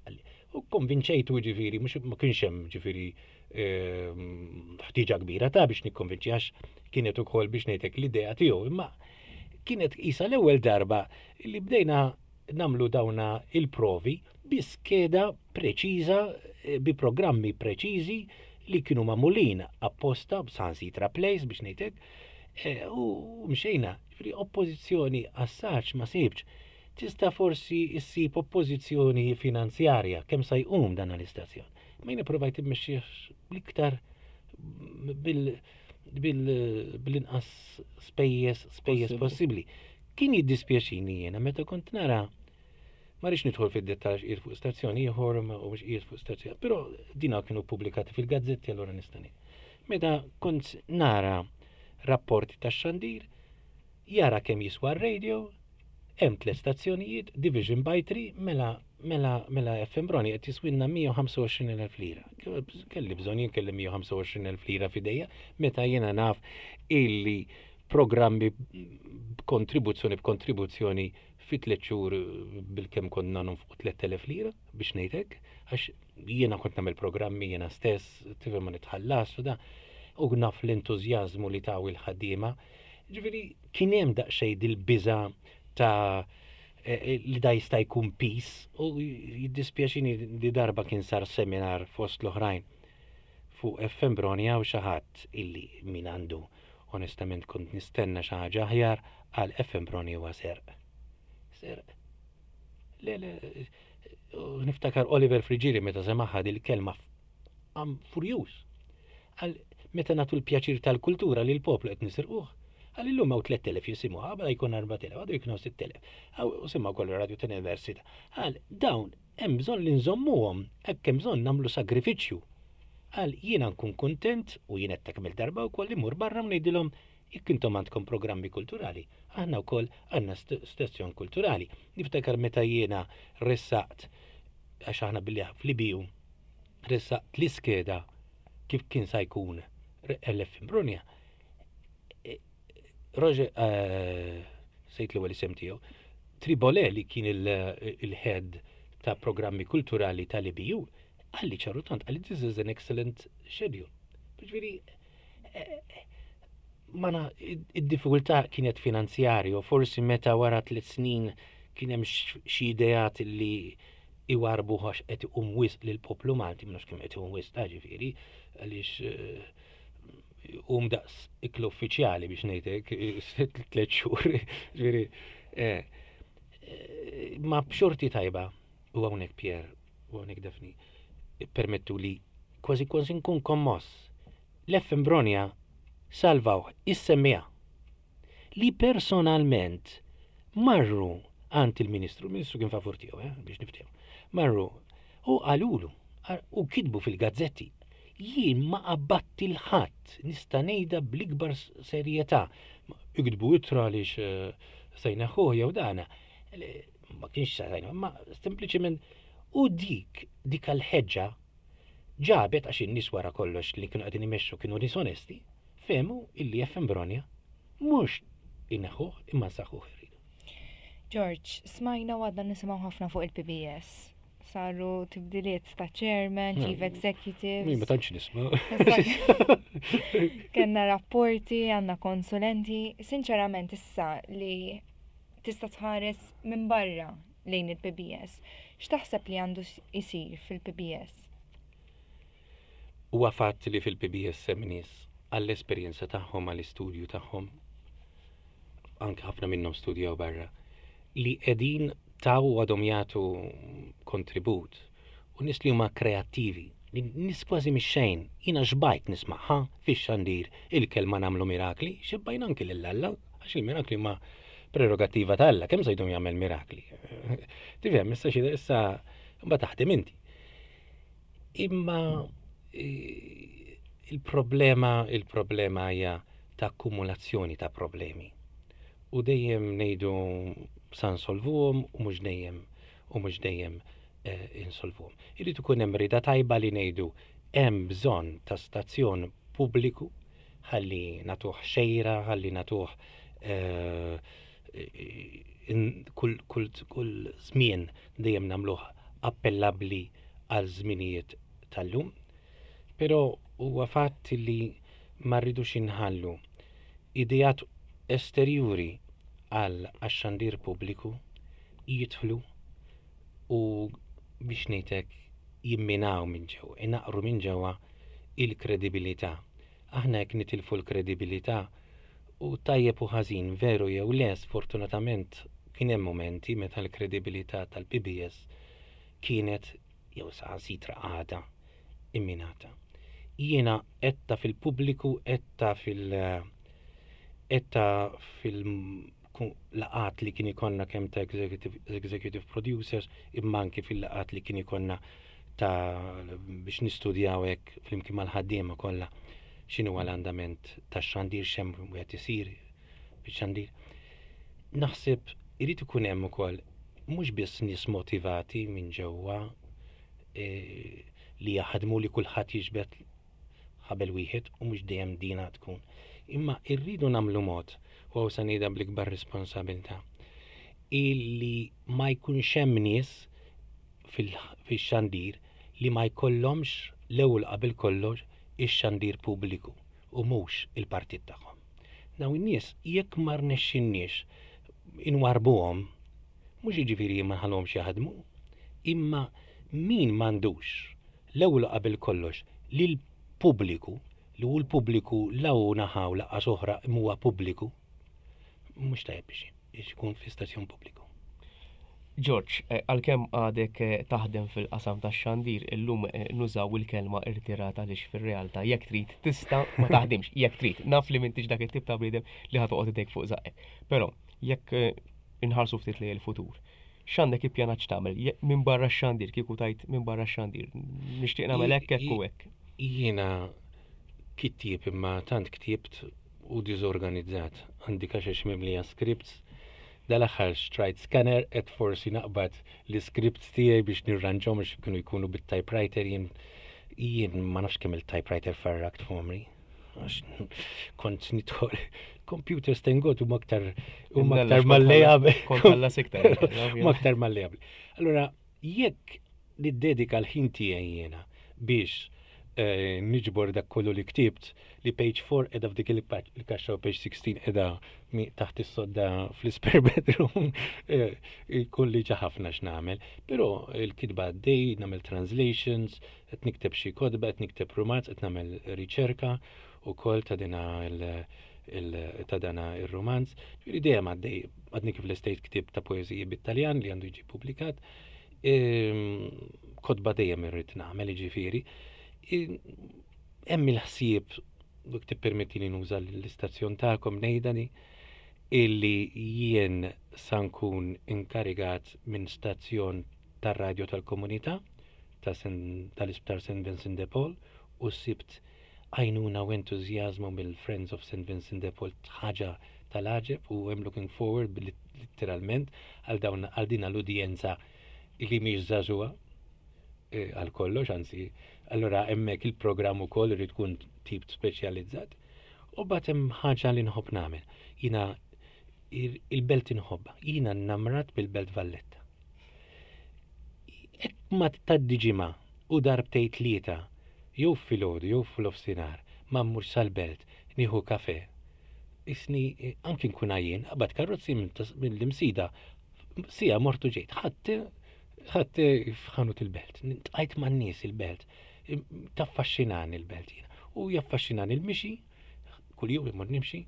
għalli. U konvinċejtu ġifieri, mhux ma kienx hemm ġifieri ehm, ħtieġa kbira ta' biex nikkonvinċi għax kienet ukoll biex ngħidlek l-idea tiegħu, imma kienet qisha l-ewwel darba li bdejna nagħmlu dawna il-provi bi skeda preċiża, eh, bi programmi preċiżi li kienu magħmulin apposta b'sansitra place biex ngħidlek, eh, u mxejna, ġifieri oppożizzjoni għas-saċ ma sibx. Tista' forsi ssib oppożizzjoni finanzjarja kemm sa jqum dan l-istazzjon. Ma jiena provajt immexxih l-iktar bil-inqas spejjeż spejjeż possibbli. Kien jiddispjaċini jiena meta kont nara ma rridx nidħol fid-dettall qiegħed fuq stazzjon ieħor ma mhux qiegħed fuq stazzjon, però dina kienu pubblikati fil-gazzetti allura nista' Meta kont nara rapporti tax-xandir, jara kemm jiswa r-radio, hemm tliet stazzjonijiet, division by three, mela Mela, mela FM Broni qed jiswilna 125,000 lira. Kelli bżonn jien kelli 125,000 lira f'idejja meta jiena naf illi programmi b'kontribuzzjoni b'kontribuzzjoni fi tliet xhur bilkemm konna nonfqu 3,000 lira biex ngħid hekk, għax jiena kont nagħmel programmi jiena stess, tifhem ma nitħallas u da, u naf l-entużjażmu li taw il-ħaddiema. Ġifieri kien hemm daqsxejn dil-biża' ta' eh, eh, li da jista' jkun pis u jiddispjaċini li darba kien sar seminar fost l-oħrajn fuq FM Broni hawn xi ħadd illi min għandu onestament kont nistenna xi ħaġa aħjar għal FM Broni huwa serq. Serq. Le, le, niftakar Oliver Friggieri meta semaħha dil-kelma għam furjuż. Għal meta nagħtu l-pjaċir tal-kultura li l-poplu qed nisirquh. Għal illum hawn 3000 jisimgħu, għabla jkun 4000, għadu jkunu 6000. U simgħu kollu radio tal-università. Għal dawn hemm bżonn li nżommuhom, hekk hemm bżonn nagħmlu sagrifiċċju. Għal jiena nkun kuntent u jien qed kemm darba wkoll imur barra u ngħidilhom jekk intom għandkom programmi kulturali, aħna wkoll għandna stazzjon kulturali. Niftakar meta jiena ressaqt għax aħna billi fl-IBU ressaqt l-iskeda kif kien sa jkun LF Imbrunja. E, Roger, eh, sejt l-ewwel isem tiegħu, Tribole li kien il-head ta' programmi kulturali tal-IBU, għalli ċaru tant, għalli this is an excellent schedule. Ġifieri, eh, mana id-diffikultà kienet finanzjarju, forsi meta wara tliet snin kien hemm xi ideat li iwarbu għax qed iqum wisq lill-poplu Malti, ma nafx kemm qed iqum wisq ta' ġifieri, għaliex eh, um daqs iklu uffiċjali biex ngħidlek tliet xhur, ġifieri. Eh, eh, ma b'xorti tajba u hawnhekk Pier u hawnhekk Daphne permettu li kważi kważi nkun kommoss. L-FM Bronja salvaw is-semmija li personalment marru għand il-Ministru, il-Ministru kien favur tiegħu, eh, biex niftehmu. Marru u qalulu u kitbu fil-gazzetti jien ma qabbatti l-ħadd nista' ngħidha bl-ikbar serjetà. Iktbu ittra għaliex eh, se jneħħuh jew dana. Ma kienx se ma sempliċement u dik dik għal-ħeġġa ġabet għax in-nies wara kollox li kienu qegħdin imexxu kienu nies onesti, fehmu illi FM Bronja mhux ineħħuh imma nsaħħuh irridu. George, smajna u għadna nisimgħu ħafna fuq il-PBS. Saru tibdiliet ta' chairman, chief executive. Ma tantx nisma'. Kenna rapporti, għandna konsulenti. Sinċerament issa li tista' tħares minn barra lejn il-PBS, x'taħseb li għandu jsir fil-PBS? Huwa fatt li fil-PBS hemm nies għall-esperjenza tagħhom, għall-istudju tagħhom, anke ħafna minnhom studjaw barra, li qegħdin taw u għadhom jagħtu kontribut u nies li huma kreattivi, li nies kważi mix-xejn, jiena xbajt nismagħha fix-xandir il-kelma nagħmlu mirakli, xebbajna anki lil Alla, għax il-mirakli huma prerogattiva ta' Alla, kemm se jdum jagħmel mirakli. Tifhem, issa xi issa mbagħad taħdem inti. Imma il-problema il-problema hija ta' akkumulazzjoni ta' problemi. U dejjem ngħidu sa nsolvuhom u mhux dejjem u mhux dejjem eh, insolvuhom. Irid ikun hemm rida tajba li ngħidu hemm bżonn ta' stazzjon pubbliku ħalli nagħtuh xejra, ħalli nagħtuh eh, kull, kull, kull żmien dejjem nagħmluh appellabbli għal żminijiet tal-lum. Però huwa fatt li ma rridux inħallu ideat esterjuri għal għax-xandir pubbliku jidħlu u biex ngħidlek jimminaw minn ġewwa, inaqru minn ġewwa il-kredibilità. Aħna jekk nitilfu l-kredibilità u tajjeb u ħażin veru jew le sfortunatament kien hemm mumenti meta l-kredibilità tal-PBS kienet jew saħansitra għadha imminata. Jiena għedtha fil-pubbliku, għedtha fil għedtha fil laqgħat li kien ikollna kemm ta' executive, executive producers imma anki fil-laqgħat li kien ikollna ta' biex nistudjaw hekk flimkien mal-ħaddiema kollha x'inhu l-andament tax-xandir x'hemm wieħed isir bix-xandir. Naħseb irid ikun hemm ukoll mhux biss nies motivati minn ġewwa e, li jaħdmu li kulħadd jiġbed ħabel wieħed u mhux dejjem dina tkun. Imma irridu nagħmlu mod, u hawn se ngħidha bl-ikbar responsabilità, illi ma jkunx hemm nies fix-xandir li ma jkollhomx l-ewwel qabel kollox ix-xandir pubbliku u mhux il-partit tagħhom. Dawn in-nies jekk ma rnexxinniex inwarbuhom, mhux jiġifieri ma nħalluhomx jaħdmu, imma min m'għandux l-ewwel u qabel kollox lill-pubbliku, li hu l-pubbliku la hu naħa u laqqas oħra imma huwa pubbliku, mhux tajjeb biex ikun fi stazzjon pubbliku. George, eh, għalkemm għadek eh, taħdem fil-qasam tax-xandir, illum eh, nużaw il-kelma irtirata għaliex fir-realtà jekk trid tista' ma taħdimx, jekk trid. Naf li m'intix dak it-tip ta' bniedem li ħa toqgħod idejk fuq żaqqek. Però jekk inħarsu ftit lejn il-futur, x'għandek ippjanat x'tagħmel minn barra x-xandir kieku tajt minn barra x-xandir. Nixtieq nagħmel hekk hekk u hekk. Jiena kittieb imma tant ktibt u diżorganizzat. Għandi kaxex mimlija scripts. Dal-aħħar xtrajt scanner qed forsi naqbad l-iscripts tiegħi biex nirranġhom biex kienu jkunu bit-typewriter jien jien ma nafx kemm il-typewriter farrakt f'għomri. Għax kont nidħol computers thank God huma aktar huma aktar malleabbli. Kont ħallas iktar. Huma aktar malleabbli. Allura jekk niddedika l-ħin tiegħi jiena biex eh, niġbor dak kollu li ktibt li page 4 edha f'dik il-kaxxa u page 16 edha taħt is-sodda fl-spare bedroom eh, jkun li ħafna x'nagħmel. Però il-kitba għaddej, nagħmel translations, qed nikteb xi kotba, qed nikteb rumanz, qed nagħmel riċerka ukoll ta' dina ta' dana ir-rumanz. Ġifieri dejjem għaddej, għadni kif l-estate ktib ta' poeżiji bit-Taljan li għandu jiġi publikat. Ehm, kotba dejjem irrid nagħmel, jiġifieri. Hemm il-ħsieb, jekk tippermetti li nuża l-istazzjon tagħkom ngħidha di, illi jien sa nkun inkarigat minn stazzjon tar-radju tal-komunità tal-Isptar St. Vincent de Paul u sibt għajnuna u entużjażmu mill-Friends of St. Vincent de Paul ħaġa tal-għaġeb u I'm looking forward litteralment għal dawn għal din l-udjenza li mhix żagħżugħa eh, għal kollox, anzi, allura hemmhekk il-programm ukoll irid tkun tip speċjalizzat. U bat hemm ħaġa li nħobb nagħmel. Jiena il-belt inħobbha, jiena nnamrat bil-Belt Valletta. Hekk ma tgħaddi ġimgħa u darbtejn tlieta, jew filgħodu jew f'nofsinhar, ma mmurx sal-belt nieħu kafè. Isni anki nkun għajjien, qabad karozzi mill-Imsida, siegħa mort u ġejt. Ħadd ħadd f'ħanut il-belt, tqajt man-nies il-belt. Taffaxxinani l-belt jiena. U jaffaxxinani l-mixi, kuljum immur nimxi.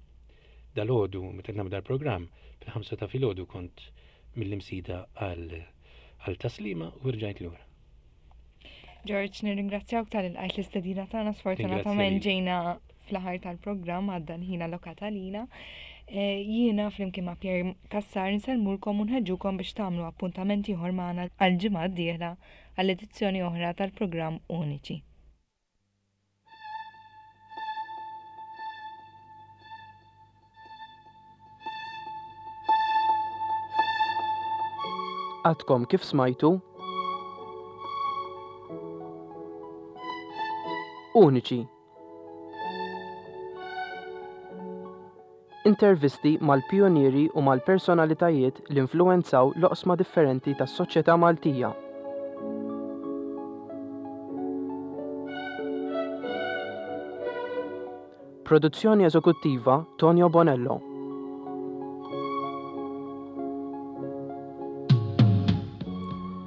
Dalgħodu meta nagħmel dal-programm, fil-ħamsa ta' filgħodu kont mill-Imsida għal Taslima u rġajt lura. George, nirringrazzjawk tal-ilqajt l-istedina tagħna sfortunatament ġejna fl-aħħar tal-programm għadda l-ħin allokat għalina. Eh, jiena flimkien ma' Pierre Cassar nsellmulkom u nħeġġukom biex tagħmlu appuntament ieħor magħna għall-ġimgħa d-dieħla għall edizzjoni oħra tal-programm Uniċi. Għadkom kif smajtu Uniċi. Intervisti mal-pijunieri u mal-personalitajiet li influwenzaw l-oqsma differenti tas-soċjetà Maltija. Produzzjoni eżekuttiva Tonio Bonello.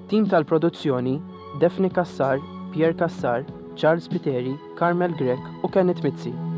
Tim tal-produzzjoni Daphne Cassar, Pierre Cassar, Charles Spiteri, Carmel Grech u Kenneth Mizzi.